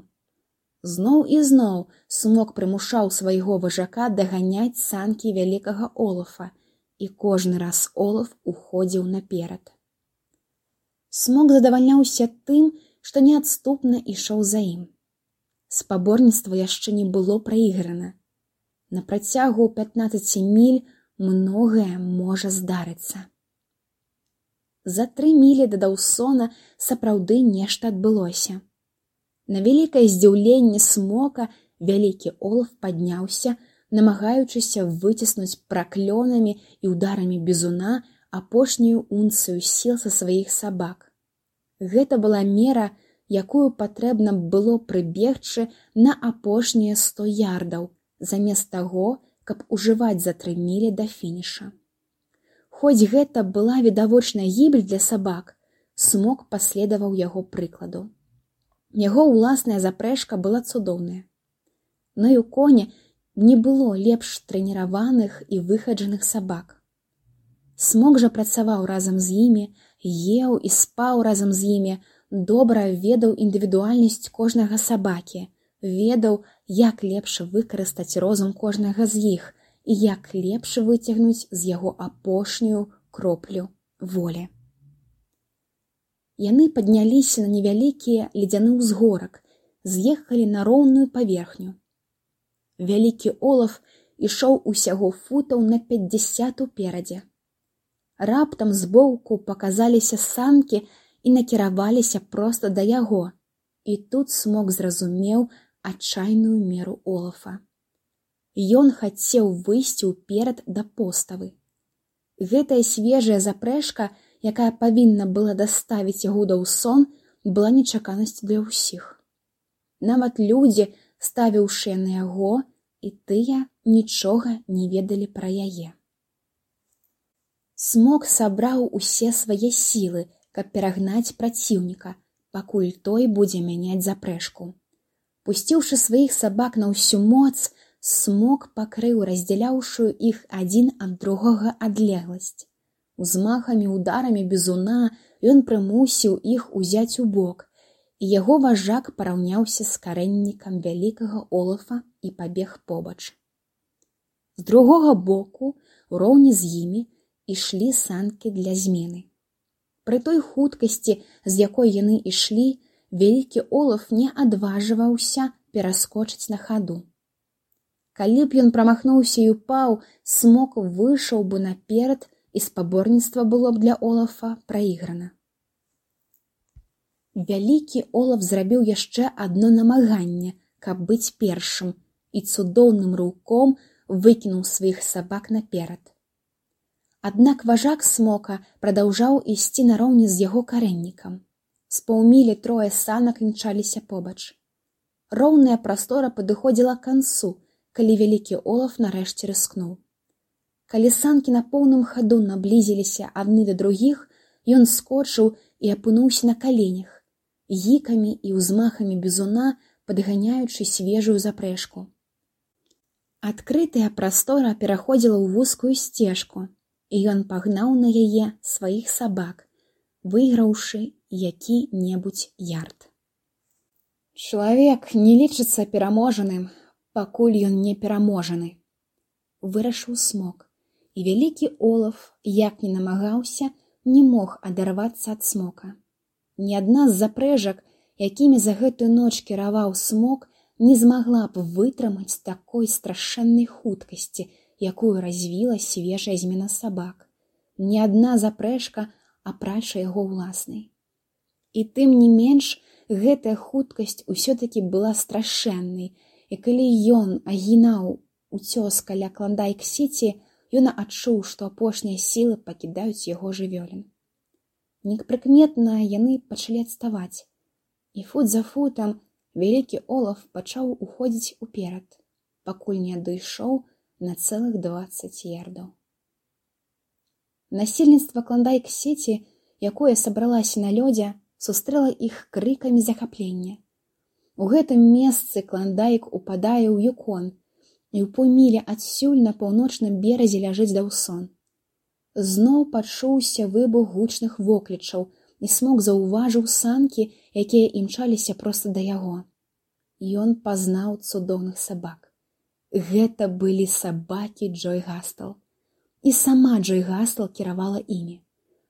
Зноў і зноў Смок прымушаў свайго важака даганяць санкі вялікага Олафа, і кожны раз Олаф уходзіў наперад. Смок задавальняўся тым, што неадступна ішоў за ім. Спаборніцтва яшчэ не было праіграна. На працягу пятнаццаці міль многае можа здарыцца. За тры мілі да Даўсона сапраўды нешта адбылося. На вялікае здзіўленне Смока вялікі Олаф падняўся, намагаючыся выціснуць праклёнамі і ударамі бізуна апошнюю унцыю сіл са сваіх сабак. Гэта была мера, якую патрэбна было прыбегчы на апошнія сто ярдаў, замест таго, каб ужываць за тры мілі да фініша. Хоць гэта была відавочная гібель для сабак, Смок паследаваў яго прыкладу. Яго ўласная запрэжка была цудоўная. Но і ў коні не было лепш трэніраваных і выхаджаных сабак. Смок жа працаваў разам з імі, еў і спаў разам з імі, добра ведаў індывідуальнасць кожнага сабакі, ведаў, як лепш выкарыстаць розум кожнага з іх і як лепш выцягнуць з яго апошнюю кроплю волі. Яны падняліся на невялікі ледзяны ўзгорак, з'ехалі на роўную паверхню. Вялікі олаф ішоў усяго футаў на пяцьдзясят уперадзе. Раптам збоку паказаліся санкі і накіраваліся проста да яго, і тут Смок зразумеў адчайную меру олафа. Ён хацеў выйсці ўперад да поставы. Гэтая свежая запрэжка, якая павінна была даставіць яго ў сон, была нечаканасцю для ўсіх. Нават людзі, ставіўшыя на яго, і тыя нічога не ведалі пра яе. Смок сабраў усе свае сілы, каб перагнаць праціўніка, пакуль той будзе мяняць запрэжку. Пусціўшы сваіх сабак на ўсю моц, Смок пакрыў раздзяляўшую іх адзін ад другога адлегласць. Узмахамі ударамі бізуна ён прымусіў іх узяць у бок, і яго важак параўняўся з карэннікам вялікага олафа і пабег побач. З другога боку, уроўні з імі, ішлі санкі для змены. Пры той хуткасці, з якой яны ішлі, вялікі олаф не адважваўся пераскочыць на хаду. Калі б ён прамахнуўся і упаў, Смок выйшаў бы наперад, і спаборніцтва было б для олафа праіграна. Вялікі олаф зрабіў яшчэ адно намаганне, каб быць першым, і цудоўным рыўком выкінуў сваіх сабак наперад. Аднак важак Смока прадаўжаў ісці нароўні з яго карэннікам. З паўмілі трое санак імчаліся побач. Роўная прастора падыходзіла к канцу, калі вялікі олаф нарэшце рыскнуў. Калі санкі на поўным хаду наблізіліся адны да другіх, ён скочыў і апынуўся на каленях, гікамі і ўзмахамі бізуна падганяючы свежую запрэжку. Адкрытая прастора пераходзіла ў вузкую сцежку, і ён пагнаў на яе сваіх сабак, выйграўшы які-небудзь ярд. Чалавек не лічыцца пераможаным, пакуль ён не пераможаны, вырашыў Смок, і вялікі олаф, як не намагаўся, не мог адарвацца ад Смока. Ні адна з запрэжак, якімі за гэтую ноч кіраваў Смок, не змагла б вытрымаць такой страшэннай хуткасці, якую развіла свежая змена сабак. Ні адна запрэжка, апрача яго ўласнай. І тым не менш, гэтая хуткасць усё-такі была страшэннай, і калі ён агінаў уцёс каля Клондайк-Сіці, ён адчуў, што апошнія сілы пакідаюць яго жывёлін. Непрыкметна яны пачалі адставаць, і фут за футам вялікі олаф пачаў уходзіць уперад, пакуль не дайшоў на цэлых дваццаць ярдаў. Насельніцтва Клондайк-Сіці, якое сабралася на лёдзе, сустрэла іх крыкамі захаплення. У гэтым месцы Клондайк упадае ў Юкон, і ў паўмілі адсюль на паўночным беразе ляжыць Даўсон. Зноў пачуўся выбух гучных воклічаў, і Смок заўважыў санкі, якія імчаліся проста да яго. Ён пазнаў цудоўных сабак. Гэта былі сабакі Джой Гастел. І сама Джой Гастел кіравала імі.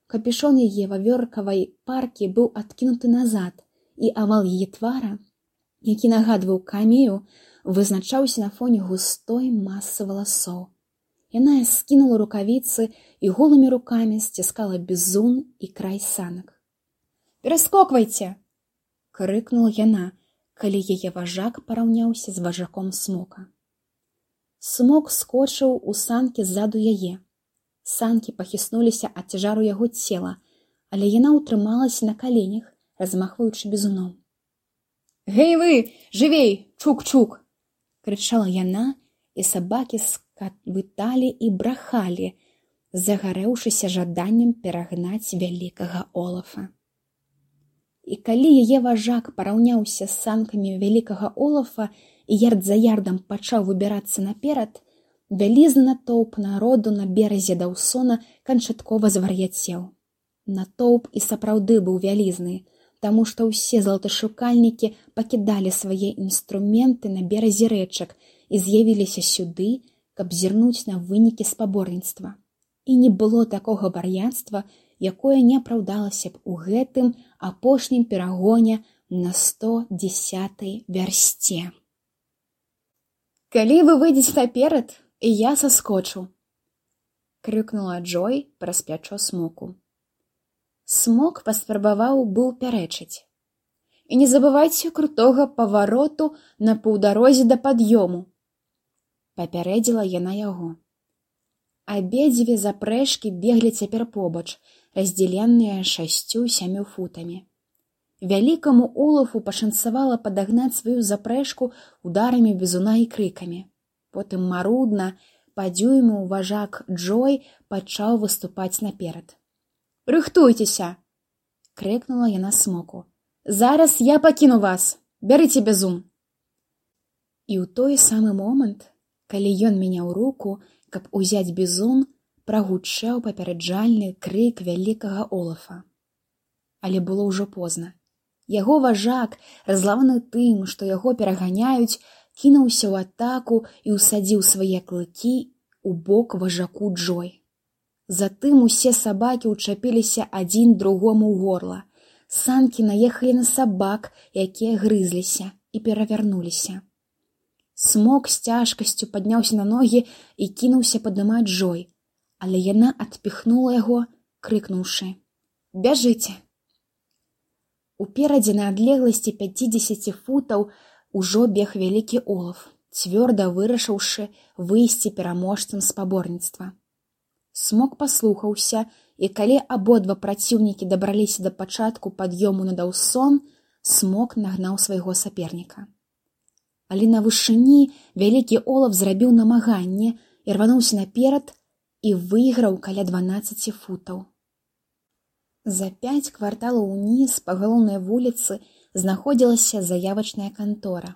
Капюшон яе вавёркавай паркі быў адкінуты назад, і авал яе твара, які нагадваў камею, вызначаўся на фоне густой масы валасоў. Яна скінула рукавіцы і голымі рукамі сціскала бізун і край санак. «Пераскоквайце!» — крыкнула яна, калі яе важак параўняўся з важаком Смока. Смок скочыў у санкі ззаду яе. Санкі пахіснуліся ад цяжару яго цела, але яна ўтрымалася на каленях, размахваючы бізуном. «Гэй вы, жывей, чук-чук!» — крычала яна, і сабакі з ракатвыталі і брахалі, загарэўшыся жаданнем перагнаць вялікага Олафа. І калі яе важак параўняўся з санкамі вялікага Олафа і ярд за ярдам пачаў выбірацца наперад, вялізны натоўп народу на беразе Даўсона канчаткова звар'яцеў. Натоўп і сапраўды быў вялізны, таму што ўсе залаташукальнікі пакідалі свае інструменты на беразе рэчак і з'явіліся сюды, каб зірнуць на вынікі спаборніцтва. І не было такога вар'яцтва, якое не апраўдалася б у гэтым апошнім перагоне на сто дзесятай вярсце. «Калі вы выйдзеце наперад, я саскочу!» — крыкнула Джой праз плячо Смоку. Смок паспрабаваў быў пярэчыць. «І не забывайце крутога павароту на паўдарозе да пад'ёму!» — папярэдзіла яна яго. Абедзве запрэжкі беглі цяпер побач, раздзеленыя шасцю-сямю футамі. Вялікаму Олафу пашанцавала падагнаць сваю запрэжку ударамі бізуна і крыкамі. Потым марудна, па дюйму важак Джой пачаў выступаць наперад. «Рыхтуйцеся!» — крыкнула яна Смоку. «Зараз я пакіну вас! Бярыце бізун!» І ў той самы момант, калі ён мяняў руку, каб узяць бізун, прагучэў папераджальны крык вялікага Олафа. Але было ўжо позна. Яго важак, разлаваны тым, што яго пераганяюць, кінуўся ў атаку і ўсадзіў свае клыкі ў бок важаку Джой. Затым усе сабакі ўчапіліся адзін другому ў горла. Санкі наехалі на сабак, якія грызліся і перавярнуліся. Смок з цяжкасцю падняўся на ногі і кінуўся паднімаць Джой, але яна адпіхнула яго, крыкнуўшы: «Бяжыце!» Уперадзе на адлегласці пяцідзесяці футаў ужо бег вялікі Олаф, цвёрда вырашыўшы выйсці пераможцам спаборніцтва. Смок паслухаўся, і калі абодва праціўнікі дабраліся да пачатку пад'ёму на Даўсон, Смок нагнаў свайго саперніка. Але на вышыні вялікі Олаф зрабіў намаганне і рвануўся наперад і выйграў каля дванаццаці футаў. За пяць кварталаў уніз па галоўнай вуліцы знаходзілася заявачная кантора.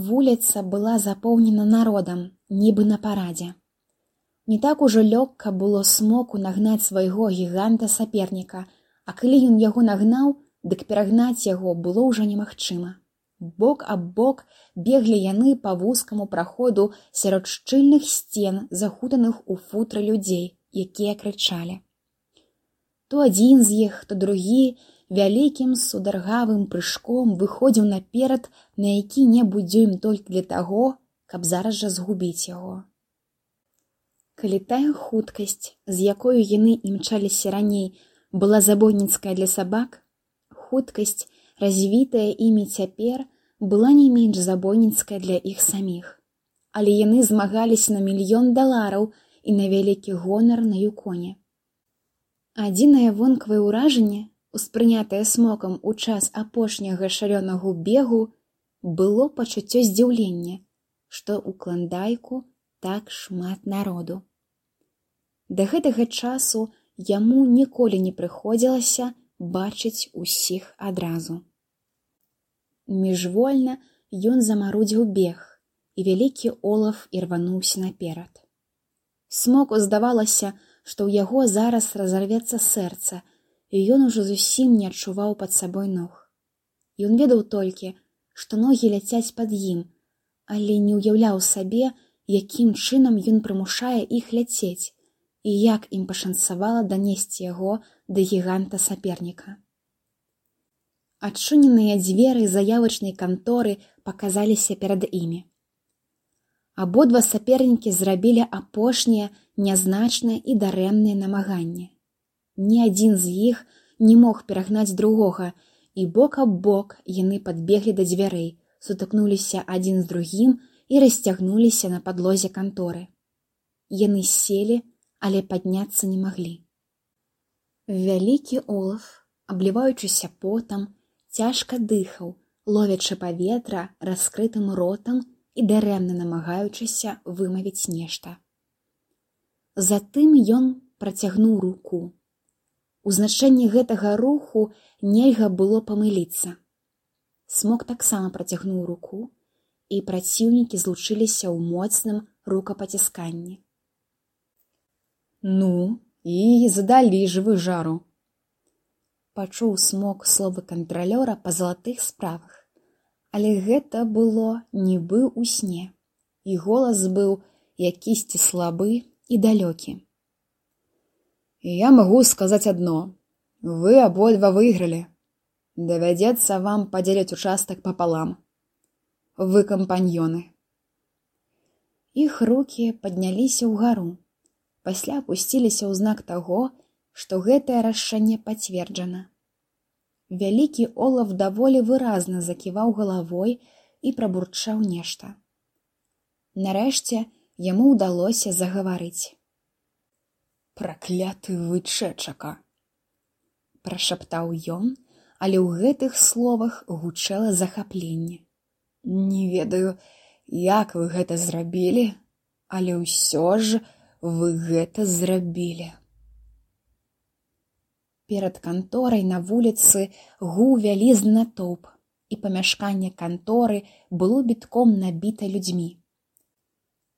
Вуліца была запоўнена народам, нібы на парадзе. Не так ужо лёгка было Смоку нагнаць свайго гіганта-саперніка, а калі ён яго нагнаў, дык перагнаць яго было ўжо немагчыма. Бок аб бок беглі яны па вузкаму праходу сярод шчыльных сцен, захутаных у футры людзей, якія крычалі. То адзін з іх, то другі вялікім сударгавым прыжком выходзіў наперад на які-небудзь дзюйм толькі для таго, каб зараз жа згубіць яго. Калі тая хуткасць, з якою яны імчаліся раней, была забойніцкая для сабак, хуткасць, развітая імі цяпер, была не менш забойніцкая для іх саміх. Але яны змагаліся на мільён далараў і на вялікі гонар на Юконе. Адзінае вонкавае ўражанне, успрынятае Смокам у час апошняга шалёнага бегу, было пачуццё здзіўлення, што ў Кландайку так шмат народу. Да гэтага часу яму ніколі не прыходзілася бачыць усіх адразу. Міжвольна ён замарудзіў бег, і вялікі Олаф ірвануўся наперад. Смоку здавалася, што ў яго зараз разарвецца сэрца, і ён ужо зусім не адчуваў пад сабой ног. Ён ведаў толькі, што ногі ляцяць пад ім, але не ўяўляў сабе, якім чынам ён прымушае іх ляцець, і як ім пашанцавала данесці яго да гіганта-саперніка. Адчыненыя дзверы заявачнай канторы паказаліся перад імі. Абодва сапернікі зрабілі апошнія, нязначныя і дарэмныя намаганні. Ні адзін з іх не мог перагнаць другога, і бок аб бок яны падбеглі да дзвярэй, сутыкнуліся адзін з другім і расцягнуліся на падлозе канторы. Яны селі, але падняцца не маглі. Вялікі Олаф, абліваючыся потам, цяжка дыхаў, ловячы паветра раскрытым ротам і дарэмна намагаючыся вымавіць нешта. Затым ён працягнуў руку. У значэнні гэтага руху нельга было памыліцца. Смок таксама працягнуў руку, і праціўнікі злучыліся ў моцным рукапацісканні. Ну, і задалі ж вы жару. Пачуў Смок словы кантралёра па залатых справах, але гэта было нібы ў сне, і голас быў якісьці слабы і далёкі. Я магу сказаць адно. Вы абодва выйгралі. Давядзецца вам падзеліць участак папалам. Вы кампаньёны. Іх рукі падняліся ўгару, пасля апусціліся ў знак таго, што гэтае рашэнне пацверджана. Вялікі Олаф даволі выразна заківаў галавой і прабурчаў нешта. Нарэшце яму ўдалося загаварыць. «Пракляты вы чэчака!» прашаптаў ён, але ў гэтых словах гучэла захапленне. «Не ведаю, як вы гэта зрабілі, але ўсё ж вы гэта зрабілі». Перад канторай на вуліцы гуў вялізны натоўп, і памяшканне канторы было бітком набіта людзьмі.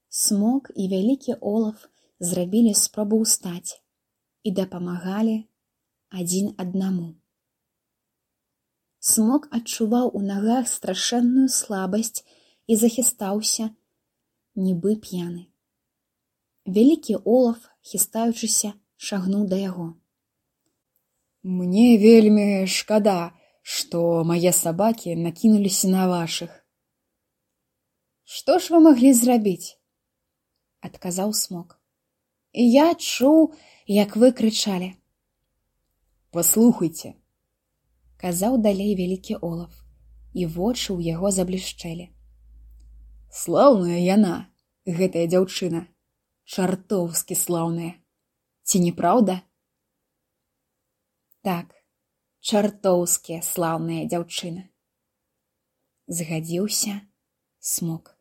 Смок і вялікі Олаф зрабілі спробу ўстаць і дапамагалі адзін аднаму. Смок адчуваў у нагах страшэнную слабасць і захістаўся, нібы п'яны. Вялікі Олаф, хістаючыся, шагнуў да яго. «Мне вельмі шкада, што мае сабакі накінуліся на вашых». «Што ж вы маглі зрабіць?» — адказаў Смок. «Я чуў, як вы крычалі». «Паслухайце», — казаў далей вялікі Олаф, і вочы ў яго заблішчэлі. «Слаўная яна, гэтая дзяўчына, чартоўскі слаўная. Ці не праўда?» «Так, чартоўскія слаўная дзяўчына», — згадзіўся Смок.